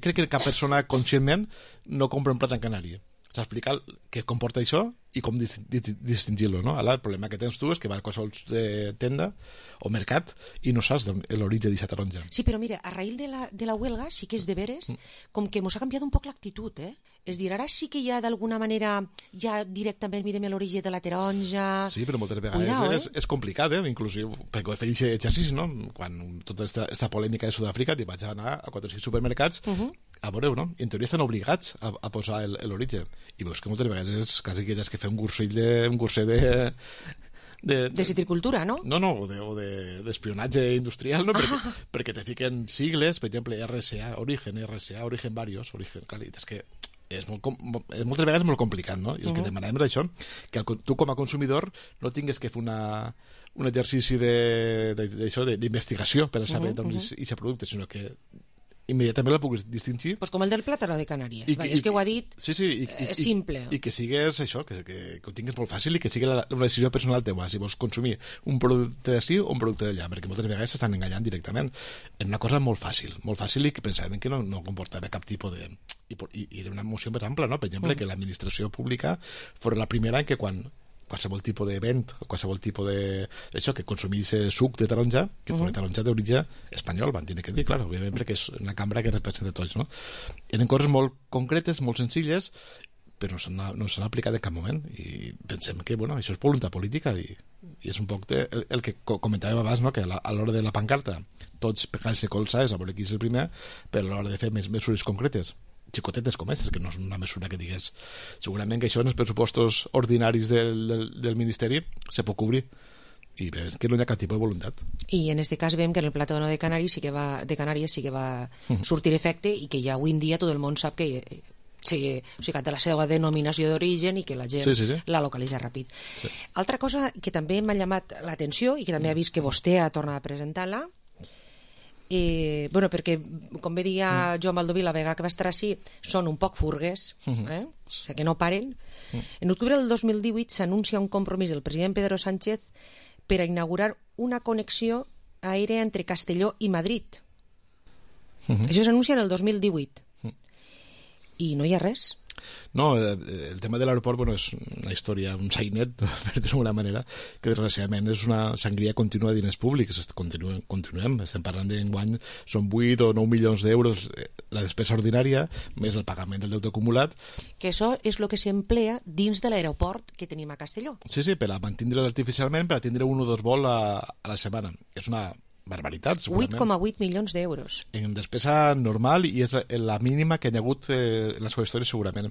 crec que cap persona conscientment no compra un plat en Canària. explicar què comporta això i com distingir-lo, no? Ara, el problema que tens tu és que vas a qualsevol tenda o mercat i no saps l'origen d'aquesta taronja. Sí, però mira, a raïl de la huelga sí que és de veres, com que mos ha canviat un poc l'actitud, És dir, ara sí que ja d'alguna manera ja directament mirem l'origen de la taronja... Sí, però moltes vegades és complicat, inclusive, perquè he fet aquest exercici, no? Quan tota aquesta polèmica de Sud-àfrica vaig anar a 4 o 6 supermercats a veure, no? I en teoria estan obligats a posar l'origen. I veus que moltes vegades és quasi que has que fer un curset de citricultura, no? No, o d'espionatge industrial, no? Perquè te fiquen sigles, per exemple, RSA, origen varios, clar, és que moltes vegades és molt complicat, no? I el que demanem és això, que tu com a consumidor no tingues que fer un exercici d'investigació per a saber d'on és aquest producte, sinó que immediatament la puguis distingir. Pues com el del plàtano de Canàries. És que ho ha dit simple. I que sigues això, que ho tinguis molt fàcil i que sigui una decisió personal teua, si vols consumir un producte d'ací o un producte d'allà, perquè moltes vegades s'estan enganyant directament en una cosa molt fàcil i que pensàvem que no comportava cap tipus de... I era una moció més ampla, no? Per exemple, que l'administració pública fos la primera en que quan qualsevol tipus d'event o qualsevol tipus d'això que consumís suc de taronja, que fos taronja d'origen espanyol, van tenir que dir, clar, òbviament, perquè és una cambra que representa tots, no? Eren coses molt concretes, molt senzilles, però no s'han aplicat en cap moment, i pensem que, bueno, això és voluntat política, i és un poc el que comentàvem abans, no? Que a l'hora de la pancarta tots pegant-se colzes a veure qui és el primer, però a l'hora de fer mesures concretes xicotetes com aquestes, que no és una mesura que digués, segurament que això en els pressupostos ordinaris del Ministeri se pot cobrir, i és que no hi ha cap tipus de voluntat. I en aquest cas veiem que en el plàtano de Canàries sí que va sortir efecte, i que ja avui en dia tot el món sap que té la seva denominació d'origen i que la gent la localitza ràpid. Altra cosa que també m'ha llamat l'atenció i que també ha vist que vostè ha tornat a presentar-la, perquè com bé dia Joan Baldoví la vegada que va estar així, són un poc furgues, o sigui que no paren. En octubre del 2018 s'anuncia un compromís del president Pedro Sánchez per a inaugurar una connexió aèria entre Castelló i Madrid. Això s'anuncia en el 2018 i no hi ha res. No, el tema de l'aeroport, bueno, és una història, un sainet, per dir-ho d'alguna manera, que desgraciadament és una sangria contínua de diners públics. Continuem, estem parlant d'enguany, són 8 o 9 milions d'euros la despesa ordinària, més el pagament del deute acumulat. Que això és el que s'emplea dins de l'aeroport que tenim a Castelló. Sí, per a mantindre'l artificialment, per a tindre 1 o 2 vols a la setmana. És una barbaritat, segurament. 8,8 milions d'euros. En despesa normal, i és la mínima que hi ha hagut en la seva història, segurament.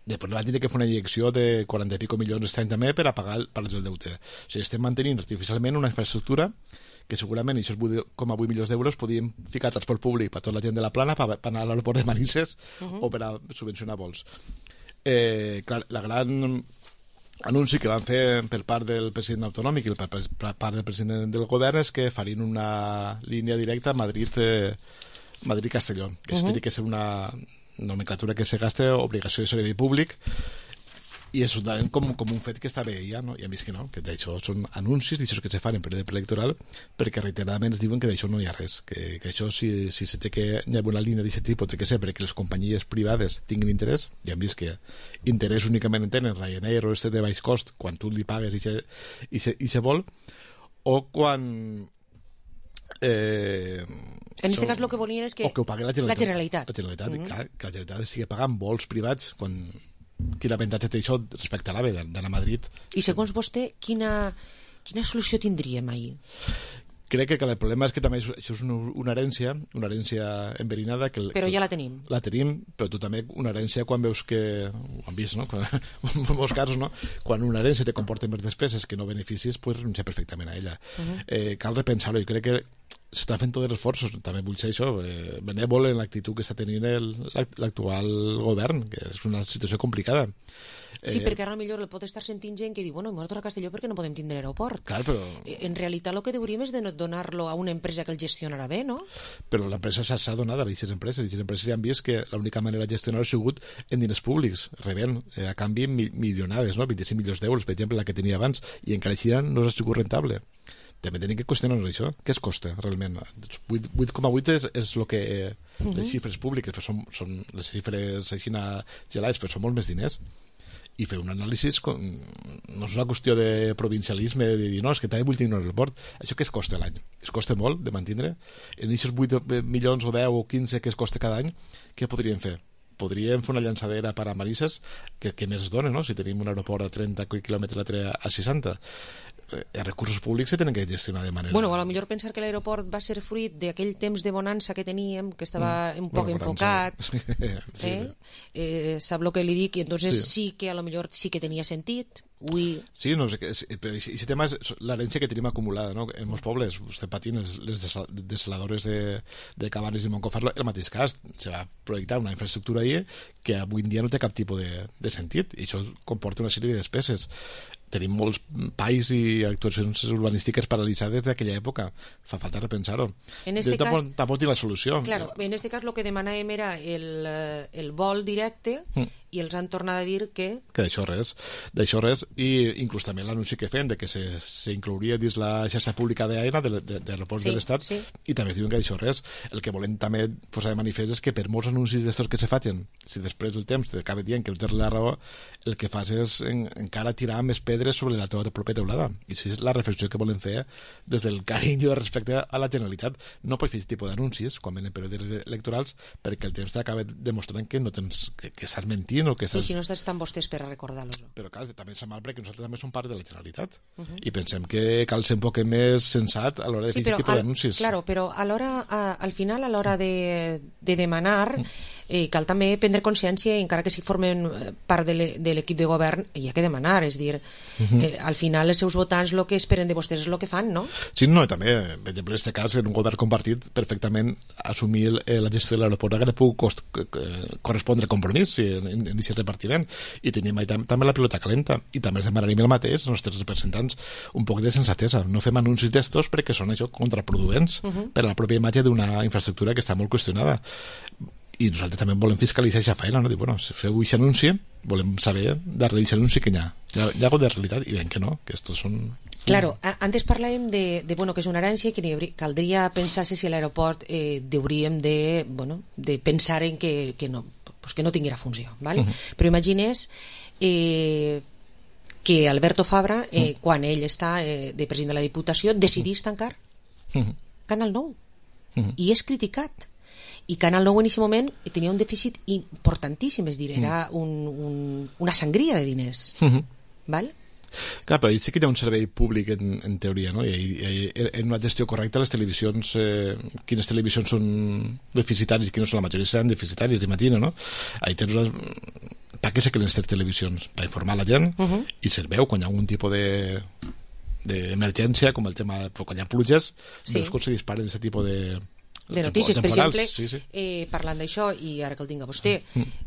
Després van tenir que fer una injecció de 40 i pico milions aquest any també per a pagar el deute. O sigui, estem mantenint artificialment una infraestructura que segurament aquests 8,8 milions d'euros podien ficar transport públic per tota la gent de la Plana, per anar a l'aeroport de Manises o per a subvencionar vols. Clar, la gran anunci que van fer per part del president autonòmic i per part del president del govern és que farien una línia directa Madrid-Castelló, que això hauria que ser una nomenclatura que se gasta obligació de servei públic, i és com un fet que està bé ja, no? I hem vist que no, que d'això són anuncis d'això que se fan en període preelectoral, perquè reiteradament es diuen que d'això no hi ha res, que això si se té que hi ha una línia d'aquest tipus té que ser perquè les companyies privades tinguin interès, ja hem vist que interès únicament en tenen Ryanair o este de baix cost quan tu li pagues i se vol, o quan en aquest cas el que volien és que ho pagui la Generalitat. Que la Generalitat sigui pagant vols privats quan... Quin avantatge té això respecte a l'AVE d'anar a Madrid. I segons vostè, quina solució tindríem ahir? Crec que el problema és que també això és una herència enverinada. Però ja la tenim. La tenim, però tu també una herència quan veus que... Ho han vist, no? En molts casos, no? Quan una herència te comporta més despeses que no beneficis, pues renuncia perfectament a ella. Cal repensar-ho. Jo crec que s'està fent tots els esforços, també vull ser això, benèvol en l'actitud que està tenint l'actual govern, que és una situació complicada. Sí, perquè ara millor el pot estar sentint gent que diu, bueno, hem a Castelló perquè no podem tindre aeroport. Clar, però... En realitat el que hauríem és de donar-lo a una empresa que el gestionarà bé, no? Però l'empresa s'ha donat a aquestes empreses, i les empreses ja han vist que l'única manera de gestionar-ho ha sigut en diners públics, rebent a canvi milionades, no? 25 milions d'euros, per exemple, la que tenia abans, i encara així no ha sigut rentable. també tenim que qüestionar això. Què es costa realment? 8,8 és el que les xifres públiques, però són les xifres així gelades, però són molt més diners. I fer un anàlisi no és una qüestió de provincialisme, de dir, no, és que també vull tenir un aeroport. Això què es costa l'any? Es costa molt de mantenir? En aquests 8 milions o 10 o 15 que es costa cada any, què podríem fer? Podríem fer una llançadera per a Manises que més es dona, no? Si tenim un aeroport a 30 quilòmetres a 60. Els recursos públics se tenen que gestionar de manera... Bueno, a lo millor pensar que l'aeroport va ser fruit d'aquell temps de bonança que teníem, que estava un poc enfocat, sap el que li dic, i entonces sí que a lo millor sí que tenia sentit. Sí, no sé, però aquest tema és l'herència que tenim acumulada, no? En molts pobles estem patint les desaladores de Cabanes i Montcofar, el mateix cas, se va projectar una infraestructura ahí que avui en dia no té cap tipus de sentit, i això comporta una sèrie de despeses. Tenim molts pais i actuacions urbanístiques paralitzades d'aquella època. Fa falta repensar-ho. Tampoc tinc la solució. Claro, en este cas el que demanàvem era el vol directe i els han tornat a dir que d'això res, i inclús també l'anunci que fem de que s'inclouria dins la xarxa pública d'AENA d'aeroports de l'Estat, i també es diuen que d'això res. El que volem també posar de manifest és que per molts anuncis d'estos que se facin, si després del temps t'acaba dient que no tens la raó, el que fas és encara tirar més pedres sobre la teva pròpia teulada, i això és la reflexió que volem fer des del carinyo respecte a la Generalitat. No pots fer aquest tipus d'anuncis quan venen períodes electorals, perquè el temps t'acaba demostrant que no tens, que estàs mentint o que estàs... I si no estan vostès per a recordar-los. Però clar, també és mal perquè nosaltres també som part de la Generalitat i pensem que cal ser un poc més sensat a l'hora de fer aquest tipus d'anuncis. Claro, però al final, a l'hora de demanar, cal també prendre consciència, encara que si formen part de l'equip de govern, hi ha que demanar, és dir, al final els seus votants el que esperen de vostès és el que fan, no? Sí, no, i també, per exemple, en aquest cas, en un govern compartit, perfectament assumir la gestió de l'aeroport que pugui correspondre al compromís en aquest repartiment, i tenim també la pilota calenta, i també es demanaríem el mateix als nostres representants, un poc de sensatesa. No fem anuncis d'estos perquè són això contraproduents per a la pròpia imatge d'una infraestructura que està molt qüestionada. I nosaltres també volem fiscalitzar aquesta feina, no? Dir, bueno, si feu aquest anunci, volem saber darrere d'aquest anunci que hi ha hagut de realitat, i ben que no, que estos són... Claro, antes parlàvem de bueno, que és una herència i que caldria pensar si a l'aeroport hauríem de pensar en que no, pues que no tinguera funció, ¿vale? Però imagines que Alberto Fabra, quan ell està de president de la Diputació, decidís tancar Canal 9 i és criticat. I Canal 9 en aquest moment tenia un dèficit importantíssim, és dir, era una sangria de diners. Val? Clar, però sí que hi ha un servei públic en teoria, no? I en una gestió correcta les televisions, quines televisions són deficitàries i quines són, la majoria seran deficitàries, imagina, no? Ahí tens per què se creen aquestes televisions? Per informar la gent i se veu quan hi ha algun tipus d'emergència, com el tema quan hi ha pluges, veus com se disparen aquest tipus de notícies, per exemple, parlant d'això, i ara que el tinc a vostè,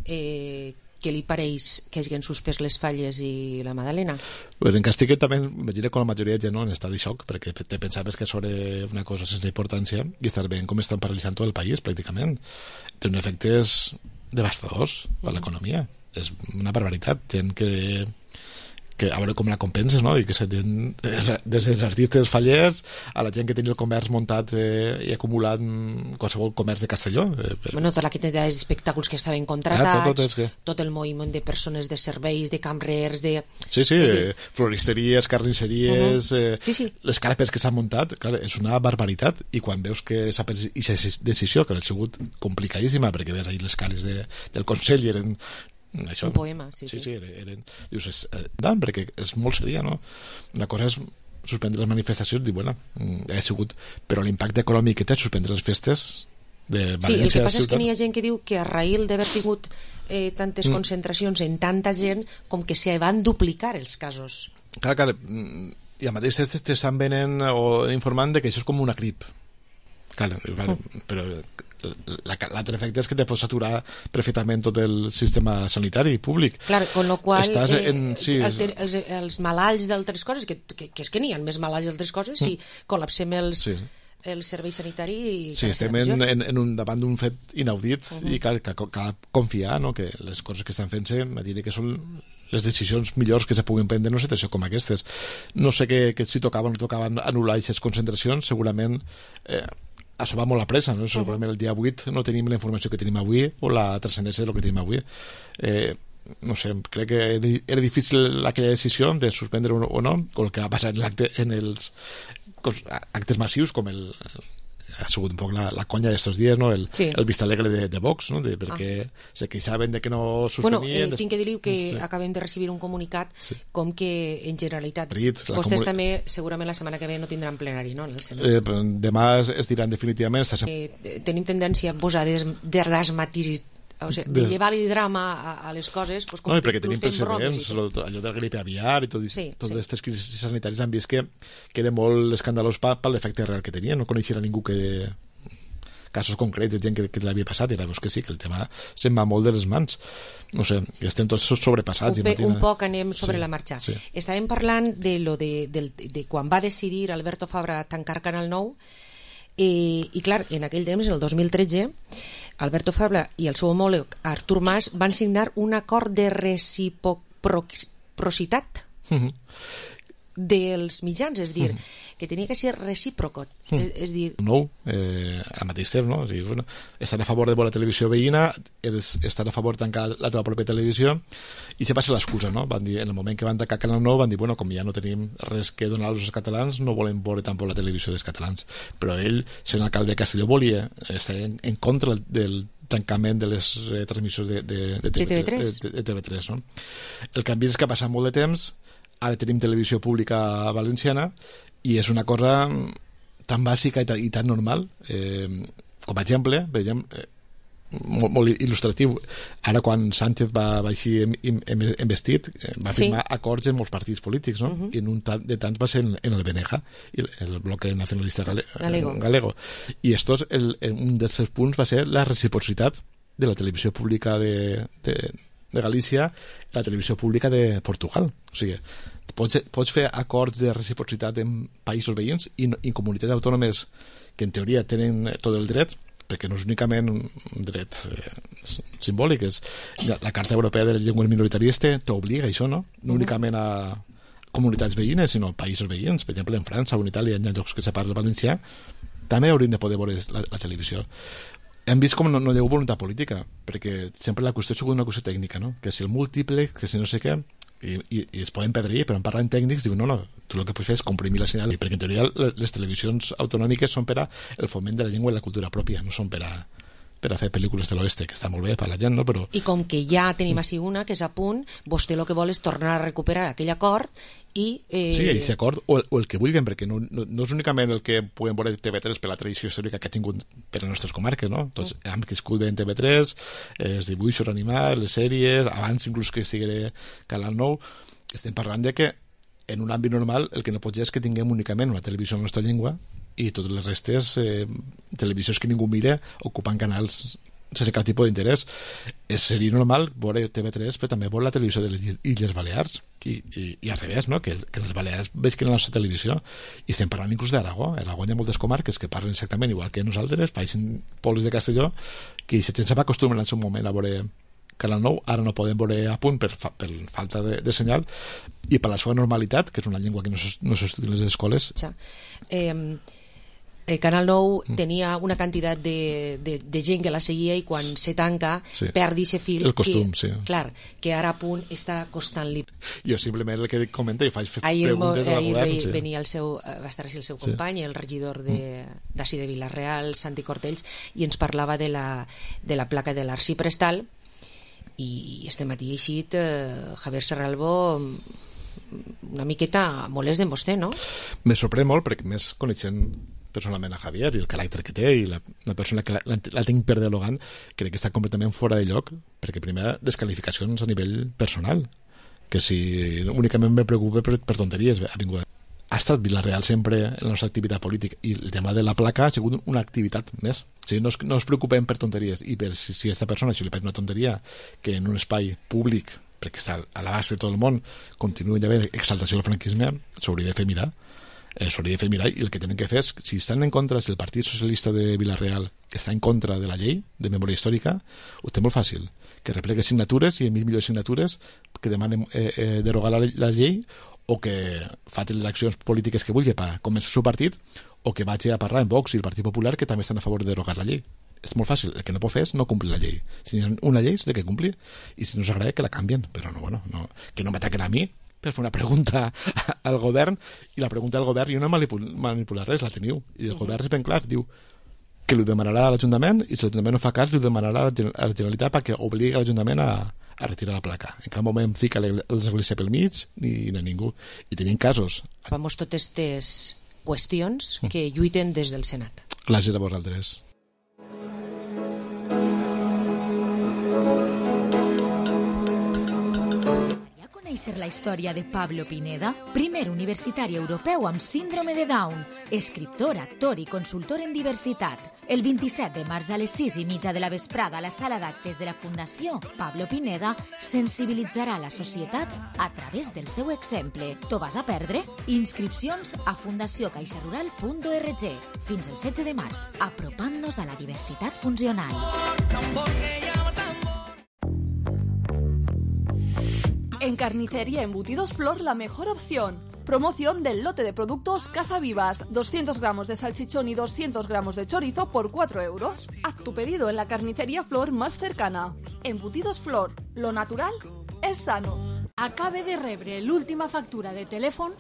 què li pareix que hagin suspès les Falles i la Madalena? Pues en Castigue també, imagina com la majoria de gent en estat de xoc, perquè te pensaves que sobre una cosa sense importància i estàs veient com estan paralitzant tot el país, pràcticament. Té uns efectes devastadors per l'economia. És una barbaritat. Gent que a veure com la compenses, no? I que gent, des dels artistes fallers a la gent que tenia el comerç muntat i acumulat qualsevol comerç de Castelló. Bueno, tota la quantitat d'espectacles que estaven contratats, tot el moviment de persones de serveis, de cambrers, de... Sí, floristeries, carnisseries, les carpes que s'han muntat, clar, és una barbaritat, i quan veus que s'ha pres aquesta decisió, que ha sigut complicadíssima, perquè veus ahir les cares del Consell i eren això, un poema, sí. Dius, perquè és molt seria, no? Una cosa és suspendre les manifestacions, dir, bueno, ha sigut, però l'impacte econòmic que té suspendre les festes de València... Sí, el que passa és que n'hi ha gent que diu que a raïl d'haver tingut tantes concentracions en tanta gent, com que se van duplicar els casos. Clar, i al mateix temps t'estan venent o informant de que això és com una grip. Clar, però l'altre efecte és que te pots saturar perfectament tot el sistema sanitari públic. Clar, con lo qual els malalts d'altres coses, que és que n'hi ha més malalts d'altres coses, si col·lapsem el servei sanitari... Sí, estem davant d'un fet inaudit i cal confiar, no?, que les coses que estan fent-se, imagina que són les decisions millors que se puguin prendre en una situació com aquestes. No sé que si tocava o no tocava anul·lar aquestes concentracions, segurament això va molt a pressa, no? Segurament el dia 8 no tenim la informació que tenim avui o la transcendència del que tenim avui. No sé, crec que era difícil aquella decisió de suspendre o no, o el que va passar en els actes massius, com ha sigut un poc la conya d'estos dies, no? El Vista Alegre de Vox, no? Perquè se queixaven de que no suspenien... Bueno, tinc que dir que acabem de recibir un comunicat com que en generalitat vostès també segurament la setmana que ve no tindran plenari, no? Demà es diran definitivament... Tenim tendència a posar desmatisis, o sigui, de llevar-li drama a les coses, doncs, no, perquè tenim precedents, allò de la gripe aviar i totes aquestes crisis sanitàries han vist que era molt escandalós per l'efecte real que tenia, no coneixia ningú que casos concrets de gent que l'havia passat, i ara veus que sí, que el tema se'n va molt de les mans, no sé, estem tots sobrepassats. Un poc anem sobre la marxa. Estàvem parlant de quan va decidir Alberto Fabra tancar Canal 9, i clar, en aquell temps, en el 2013, Alberto Fabra i el seu homòleg Artur Mas van signar un acord de reciprocitat dels mitjans, és dir, que tenia que ser recíproc, és dir... No, al mateix temps, no? Estan a favor de la televisió veïna, estan a favor de tancar la teva pròpia televisió, i se passa l'excusa, no? Van dir, en el moment que van tancar Canal 9, van dir, bueno, com ja no tenim res que donar als catalans, no volem veure tampoc la televisió dels catalans. Però ell, sent alcalde de Castelló, volia estar en contra del tancament de les transmissions de TV3, no? El canvi és que ha passat molt de temps, ara tenim televisió pública valenciana i és una cosa tan bàsica i tan normal, com a exemple, veiem, molt il·lustratiu. Ara quan Sánchez va així investit, va firmar acords en molts partits polítics, no? I en un de tants va ser en el BNG, el bloque nacionalista galego. I un dels seus punts va ser la reciprocitat de la televisió pública de Galícia, la televisió pública de Portugal. O sigui, pots fer acords de reciprocitat en països veïns i comunitats autònomes que en teoria tenen tot el dret, perquè no és únicament un dret simbòlic, és la Carta Europea de les Llengües Minoritàries t'obliga a això, no? No únicament a comunitats veïnes, sinó a països veïns. Per exemple, en França o en Itàlia, en llocs que se parla valencià, també haurien de poder veure la televisió. Hem vist com no hi ha voluntat política, perquè sempre la qüestió ha sigut una qüestió tècnica, no? Que si el múltiple, que si no sé què, i es poden perdre, però en parlant tècnics diuen, no, tu el que pots fer és comprimir la senyal, perquè en teoria les televisions autonòmiques són per al foment de la llengua i la cultura pròpia, no són per a fer pel·lícules de l'oeste, que està molt bé per la gent, no? Però... I com que ja tenim així una, que és a punt, vostè el que vol és tornar a recuperar aquell acord i... Sí, aquest acord, o el que vulguin, perquè no és únicament el que puguem veure TV3 per la tradició històrica que ha tingut per a les nostres comarques, no? Tots hem crescut bé en TV3, els dibuixos animats, les sèries, abans inclús que estigués Canal 9, estem parlant de que en un àmbit normal el que no pot ser és que tinguem únicament una televisió en la nostra llengua i totes les restes televisions que ningú mira ocupant canals sense cap tipus d'interès. Seria normal veure TV3 però també veure la televisió de les Illes Balears i al revés, no? Que les Balears veig la nostra televisió, i estem parlant inclús d'Aragó. A Aragó hi ha moltes comarques que parlen exactament igual que nosaltres, països pobles de Castelló, que la gent se va acostumar en el seu moment a veure Canal 9, ara no podem veure a punt per falta de senyal i per la seva normalitat, que és una llengua que no s'estudia en les escoles. Canal 9 tenia una quantitat de gent que la seguia i quan se tanca perdi ese fil el costum, clar, que ara a punt està costant-li. Jo simplement el que comento i faig preguntes al govern. Ahir venia va estar així el seu company, el regidor d'ací de Vila-real, Santi Cortells, i ens parlava de la placa de l'Arcí Prestal, i este matí ha eixit Javier Serralbo una miqueta molest de vostè, no? Me sorprèn molt, perquè més coneixent personalment a Javier i el caràcter que té i la persona que la tinc per dialogant, crec que està completament fora de lloc, perquè primer descalificacions a nivell personal, que si únicament me preocupa per tonteries, ha estat Vila-real sempre en la nostra activitat política, i el tema de la placa ha sigut una activitat més. O sigui, no es preocupem per tonteries, i per si a aquesta persona li pareix una tonteria que en un espai públic, perquè està a l'abast de tot el món, continuï d'haver exaltació del franquisme, s'hauria de fer mirar. s'hauria de fer mirar, i el que tenen que fer és, si estan en contra, si el Partit Socialista de Vila-real està en contra de la llei de memòria històrica, ho té molt fàcil, que replegui signatures i enviï millors signatures que demanen derogar la llei, o que facin les accions polítiques que vulgui per convèncer el seu partit, o que vagi a parlar amb Vox i el Partit Popular, que també estan a favor de derogar la llei. És molt fàcil, el que no pot fer és no complir la llei. Si hi ha una llei s'ha de complir, i si no s'agrada que la canvien, però que no m'ataquen a mi per fer una pregunta al govern, i la pregunta del govern jo no manipular res, la teniu, i el govern és ben clar, diu que li demanarà a l'Ajuntament, i si l'Ajuntament no fa cas li demanarà a la Generalitat perquè obligui l'Ajuntament a retirar la placa. En cap moment fica l'església pel mig ni ningú, i tenim casos. Vamos totes aquestes qüestions que lluiten des del Senat. Gràcies a vosaltres. Conèixer la història de Pablo Pineda, primer universitari europeu amb síndrome de Down, escriptor, actor i consultor en diversitat. El 27 de març a les 6:30 de la vesprada a la sala d'actes de la Fundació Pablo Pineda sensibilitzarà la societat a través del seu exemple. T'ho vas a perdre? Inscripcions a fundaciocaixarural.org fins el 16 de març, apropant-nos a la diversitat funcional. En Carnicería Embutidos Flor, la mejor opción. Promoción del lote de productos Casa Vivas, 200 gramos de salchichón y 200 gramos de chorizo por 4 euros. Haz tu pedido en la carnicería Flor más cercana. Embutidos Flor, lo natural és sano. Acabe de rebre l'última factura de telèfon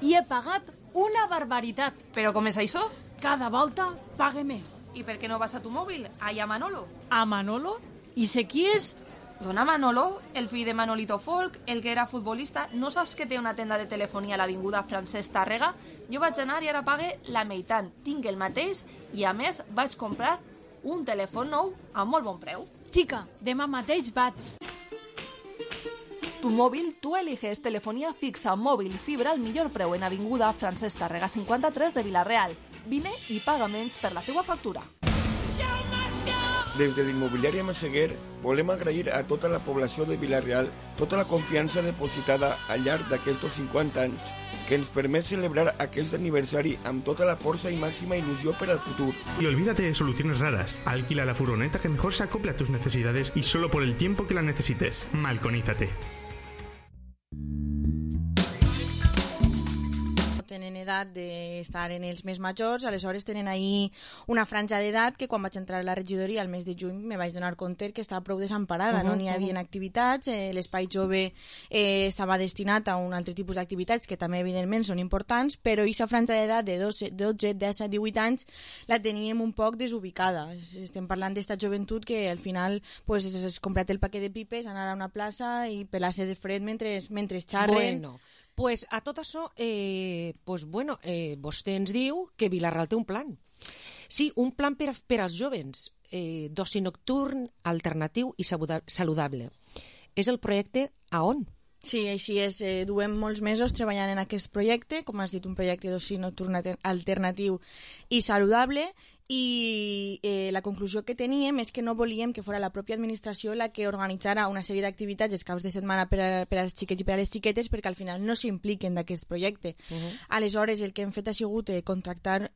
i he pagat una barbaritat. Però com és això? Cada volta pague més. I per què no vas a tu mòbil? Allà a Manolo. A Manolo? I sé qui és? Dona Manolo, el fill de Manolito Folk, el que era futbolista, no saps que té una tenda de telefonia a l'avinguda Francesc Tàrrega? Jo vaig anar i ara pague la meitat. Tinc el mateix i, a més, vaig comprar un telèfon nou a molt bon preu. Xica, demà mateix vaig. Tu móvil, tú eliges telefonía fixa, móvil, fibra al millor preu en avinguda Francesc Tàrrega 53 de Vila-real. Vine i paga menys per la teua factura. Des de l'immobiliària Massaguer volem agrair a tota la població de Vila-real tota la confiança depositada al llarg d'aquests 50 anys que ens permet celebrar aquest aniversari amb tota la força i màxima il·lusió per al futur. Y olvídate de soluciones raras. Alquila la furgoneta que mejor se acople a tus necesidades y solo por el tiempo que la necesites. Malconízate. Tenen edat d'estar en els més majors, aleshores tenen ahir una franja d'edat que quan vaig entrar a la regidoria al mes de juny me vaig donar compte que estava prou desemparada, no n'hi havia activitats, l'espai jove estava destinat a un altre tipus d'activitats que també evidentment són importants, però aquesta franja d'edat de 12, 10, 18 anys la teníem un poc desubicada. Estem parlant d'esta joventut que al final pues, es comprat el paquet de pipes, anar a una plaça i pelar-se de fred mentre xarren. Bueno, pues a tot això, vostè ens diu que Vila-real té un plan. Sí, un plan per als jovens, d'oci nocturn, alternatiu i saludable. És el projecte AON. Sí, així és. Duem molts mesos treballant en aquest projecte, com has dit, un projecte d'oci nocturn alternatiu i saludable, i la conclusió que teníem és que no volíem que fos la pròpia administració la que organitzara una sèrie d'activitats els caps de setmana per als xiquets i per a les xiquetes, perquè al final no s'impliquen d'aquest projecte. Aleshores, el que hem fet ha sigut contractar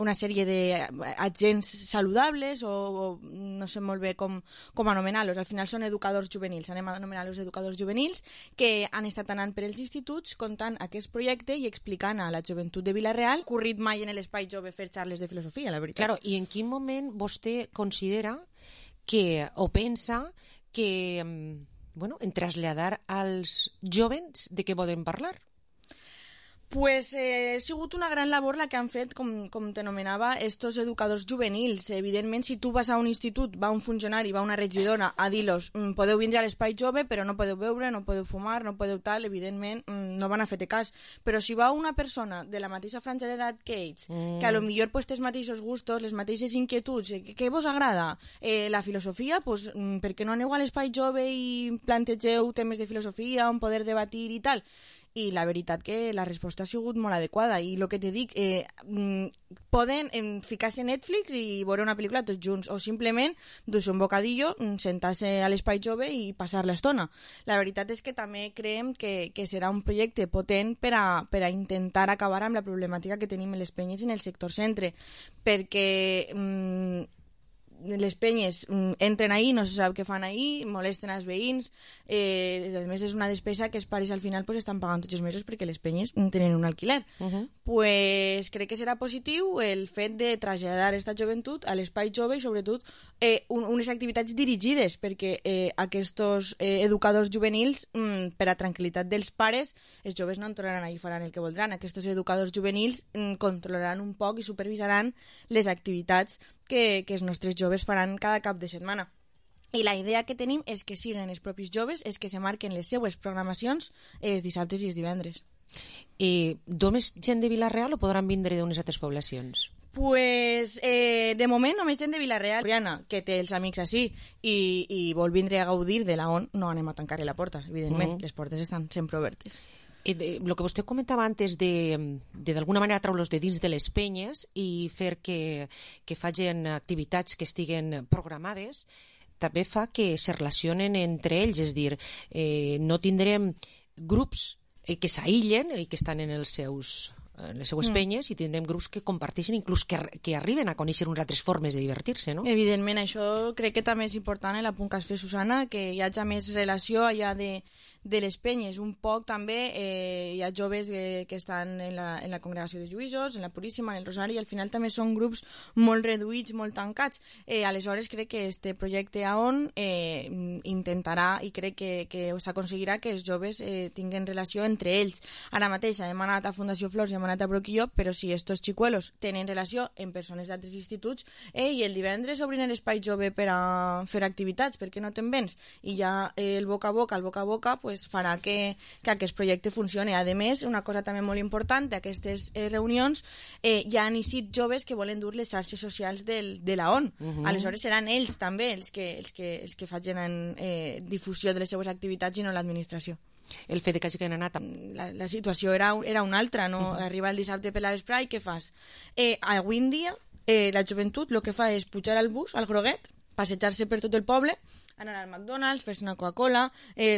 una sèrie d'agents saludables o no sé molt bé com anomenar-los. Al final són educadors juvenils, anem a anomenar-los educadors juvenils, que han estat anant per els instituts contant aquest projecte i explicant a la joventut de Vila-real, corrit mai en l'espai jove fer xarles de filosofia, la veritat. Claro, i en quin moment vostè considera que, o pensa que, en traslladar als jovens de què poden parlar? Pues ha sigut una gran labor la que han fet, com t'anomenava, estos educadors juvenils. Evidentment, si tu vas a un institut, va un funcionari, va una regidora a dir-los podeu vindre a l'espai jove, però no podeu beure, no podeu fumar, no podeu tal, evidentment no van a fer-te cas. Però si va una persona de la mateixa franja d'edat que ells, que a lo millor pues, té els mateixos gustos, les mateixes inquietuds, què vos agrada? La filosofia, pues, per què no aneu a l'espai jove i plantegeu temes de filosofia, on poder debatir i tal? i la veritat que la resposta ha sigut molt adequada, i el que te dic, poden ficar-se a Netflix i veure una pel·lícula tots junts, o simplement dur-se un bocadillo, sentar-se a l'espai jove i passar l'estona. La veritat és que també creiem que serà un projecte potent per a intentar acabar amb la problemàtica que tenim en les penyes en el sector centre, perquè les penyes entren ahí, no se sap què fan ahí, molesten als veïns, a més és una despesa que els pares al final pues, estan pagant tots els mesos perquè les penyes tenen un alquiler. Pues crec que serà positiu el fet de traslladar aquesta joventut a l'espai jove i sobretot unes activitats dirigides, perquè aquests educadors juvenils, per a tranquil·litat dels pares, els joves no entraran allà i faran el que voldran. Aquests educadors juvenils controlaran un poc i supervisaran les activitats que els nostres joves faran cada cap de setmana. I la idea que tenim és que siguin els propis joves els que se marquen les seues programacions els dissabtes i els divendres. Només gent de Vila-real o podran vindre d'unes altres poblacions? Pues, de moment només gent de Vila-real, que té els amics així i vol vindre a gaudir de la ON, no anem a tancar-li la porta, evidentment, les portes estan sempre obertes. El que vostè comentava antes de d'alguna manera treure-los de dins de les penyes i fer que facin activitats que estiguen programades, també fa que se relacionen entre ells, és dir, no tindrem grups que s'aïllen i que estan en les seues penyes, i tindrem grups que comparteixen, inclús que arriben a conèixer unes altres formes de divertir-se, no? Evidentment, això crec que també és important, el apunt que has fet, Susana, que hi hagi més relació allà de les penyes. Un poc també hi ha joves que estan en la Congregació de Lluïsos, en la Puríssima, en el Rosari, i al final també són grups molt reduïts, molt tancats. Aleshores crec que este projecte AON intentarà, i crec que s'aconseguirà que els joves tinguin relació entre ells. Ara mateix hem anat a Fundació Flors i hem anat a Broquillo, però si estos xicuelos tenen relació amb persones d'altres instituts, i el divendres obrin l'espai jove per a fer activitats, perquè no te'n vens? I ja el boca a boca, pues farà que aquest projecte funcioni. A més, una cosa també molt important d'aquestes reunions, hi ha iniciat joves que volen dur les xarxes socials de la ON. Aleshores seran ells també els que facin difusió de les seues activitats i no l'administració. El fet que hagi anat... La situació era una altra, no? Arriba el dissabte per la vesprà i què fas? Avui en dia la joventut el que fa és pujar al bus, al groguet, passejar-se per tot el poble, anar al McDonald's, fer-se una Coca-Cola,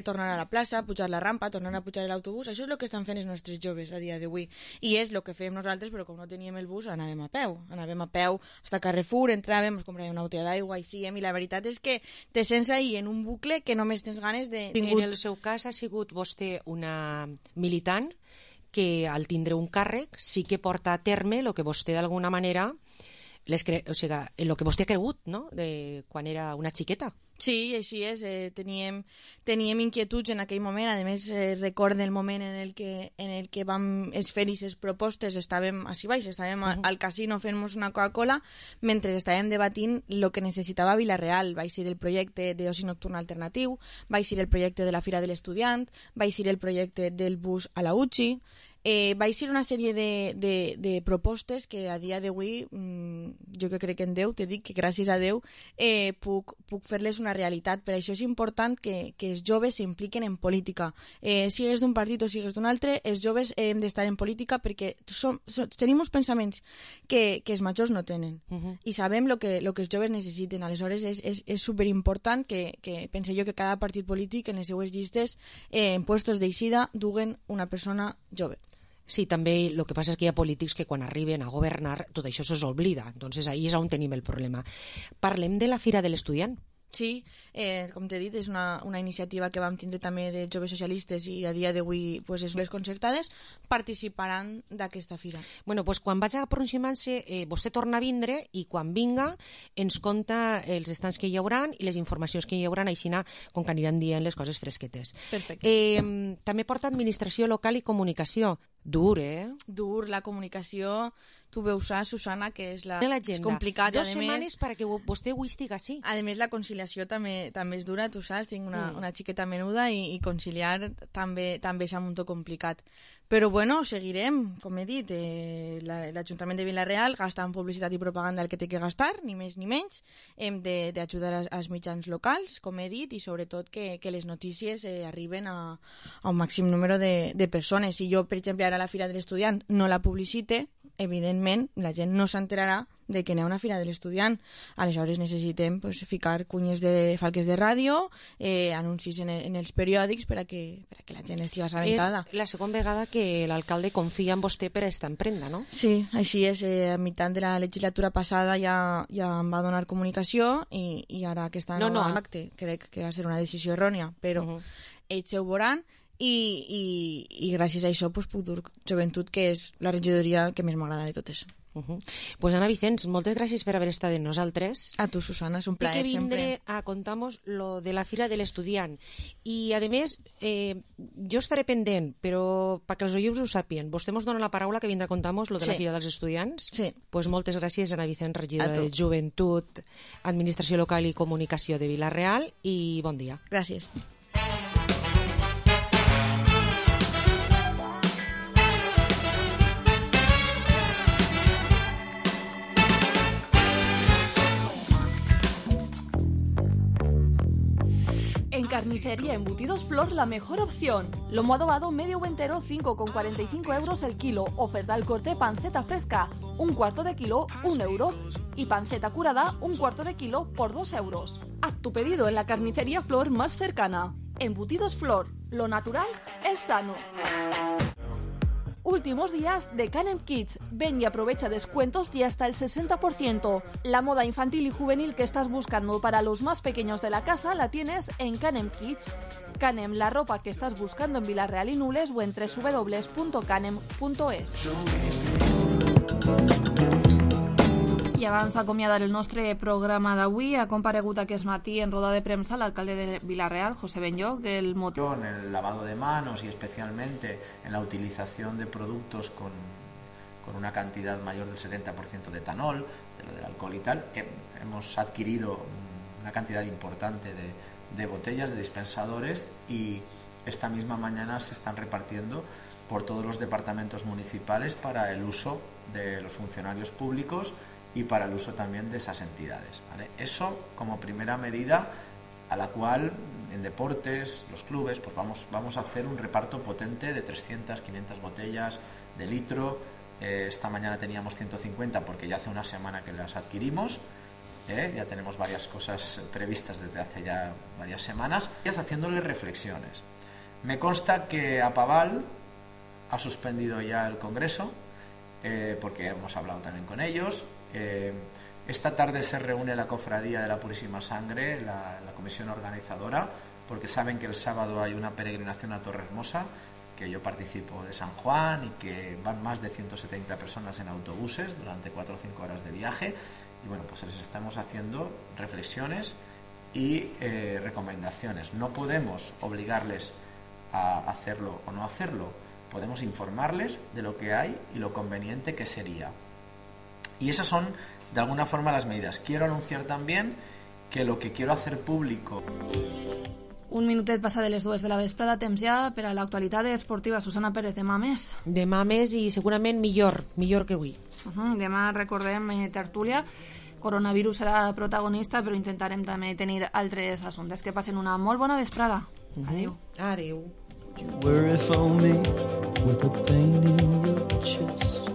tornar a la plaça, pujar la rampa, tornar a pujar l'autobús. Això és el que estan fent els nostres joves a dia d'avui. I és el que fem nosaltres, però com no teníem el bus, anàvem a peu. Anàvem a peu fins a Carrefour, entràvem, ens compràvem una botella d'aigua, i la veritat és que te sents ahí en un bucle que només tens ganes de... En el seu cas ha sigut vostè una militant que al tindre un càrrec sí que porta a terme el que vostè d'alguna manera... el que vostè ha cregut, no?, de quan era una xiqueta. Sí, així és. Teníem inquietuds en aquell moment. A més, recordo el moment en el que vam fer aquestes propostes. Estàvem així baix, estàvem al casino fent-nos una Coca-Cola mentre estàvem debatint el que necessitava Vila-real. Va ser el projecte d'oci nocturn alternatiu, va ser el projecte de la Fira de l'Estudiant, va ser el projecte del bus a la UCI. Va ser una sèrie de propostes que a dia d'avui, jo que crec en Déu, te dic que gràcies a Déu puc fer-les una realitat. Per això és important que els joves s'impliquen en política. Sigues d'un partit o sigues d'un altre, els joves hem d'estar en política perquè tenim uns pensaments que els majors no tenen i sabem el que els joves necessiten. Aleshores és superimportant que pense jo que cada partit polític en les seues llistes en puestos d'eixida duguen una persona jove. Sí, també el que passa és que hi ha polítics que quan arriben a governar tot això se'ls oblida, entonces ahí és on tenim el problema. Parlem de la Fira de l'Estudiant. Sí, com t'he dit, és una iniciativa que vam tindre també de joves socialistes i a dia d'avui pues, les concertades participaran d'aquesta fira. Bueno, pues quan vaig aproximant-se, vostè torna a vindre i quan vinga ens conta els estants que hi haurà i les informacions que hi haurà, així com que aniran dient les coses fresquetes. Perfecte. També porta administració local i comunicació. Dur, eh? Dur, la comunicació, tu veus, Susana, que és complicat. 2 setmanes perquè vostè ho estigui així. A més, la conciliació també és dura, tu saps, tinc una xiqueta menuda i conciliar també és un muntó complicat. Però bueno, seguirem, com he dit, l'Ajuntament de Vila-real gasta en publicitat i propaganda el que té que gastar, ni més ni menys. Hem d'ajudar als mitjans locals, com he dit, i sobretot que les notícies arriben a un màxim número de persones. Si jo, per exemple, ara a la Fira de l'Estudiant no la publicite, evidentment la gent no s'enterarà de que n'hi ha una Fira de l'Estudiant. Aleshores necessitem ficar cunyes de falques de ràdio, anuncis en els periòdics perquè la gent estigui assabentada. És la segona vegada que l'alcalde confia en vostè per a esta emprenda, no? Sí, així és. A mitjan de la legislatura passada ja em va donar comunicació i ara aquesta nova acte crec que va ser una decisió errònia, però ells ho veuran. I gràcies a això puc dur joventut, que és la regidoria que més m'agrada de totes. Pues Ana Vicens, moltes gràcies per haver estat amb nosaltres. A tu, Susana, és un plaer sempre. Hay que vindre sempre. a contar-nos lo de la Fira de l'Estudiant. I, a més, jo estaré pendent, però perquè els oients ho sàpien, vostè ens dona la paraula que vindrà a contar-nos lo de la Fira dels Estudiants? Sí. Pues moltes gràcies, Ana Vicens, regidora de Joventut, Administració Local i Comunicació de Vila-real, i bon dia. Gràcies. En Carnicería Embutidos Flor, la mejor opción. Lomo adobado medio o entero, 5,45 euros el kilo. Oferta al corte panceta fresca, 1/4 de kilo, 1 euro. Y panceta curada, 1/4 de kilo por 2 euros. Haz tu pedido en la Carnicería Flor más cercana. Embutidos Flor, lo natural es sano. Últimos días de Canem Kids. Ven y aprovecha descuentos y hasta el 60%. La moda infantil y juvenil que estás buscando para los más pequeños de la casa la tienes en Canem Kids. Canem, la ropa que estás buscando en Vila-real i Nules o en www.canem.es. I abans d'acomiadar el nostre programa d'avui, ha comparegut aquest matí en roda de premsa l'alcalde de Vila-real, José Benlloch, el motivo. En el lavado de manos y especialmente en la utilización de productos con una cantidad mayor del 70% de etanol, de lo del alcohol y tal, hemos adquirido una cantidad importante de botellas, de dispensadores, y esta misma mañana se están repartiendo por todos los departamentos municipales para el uso de los funcionarios públicos y para el uso también de esas entidades, ¿vale? Eso como primera medida a la cual en deportes, los clubes, pues vamos a hacer un reparto potente de 300, 500 botellas de litro. Esta mañana teníamos 150 porque ya hace una semana que las adquirimos. Ya tenemos varias cosas previstas desde hace ya varias semanas. Y haciéndole reflexiones. Me consta que Apaval ha suspendido ya el Congreso, porque hemos hablado también con ellos. Esta tarde se reúne la Cofradía de la Purísima Sangre, la comisión organizadora, porque saben que el sábado hay una peregrinación a Torrehermosa, que yo participo de San Juan, y que van más de 170 personas en autobuses durante 4 o 5 horas de viaje. Y bueno, pues les estamos haciendo reflexiones y recomendaciones. No podemos obligarles a hacerlo o no hacerlo, podemos informarles de lo que hay y lo conveniente que sería. Y esas son, de alguna forma, las medidas. Quiero anunciar también que lo que quiero hacer público... Un minutet passa de les 2 de la vesprada, temps ja per a l'actualitat esportiva. Susana Pérez, demà més. Demà més i segurament millor que avui. Demà recordem tertúlia. Coronavirus serà protagonista, però intentarem també tenir altres assumptes. Que passen una molt bona vesprada. Adéu. Adéu. Worry for me with a pain in your chest.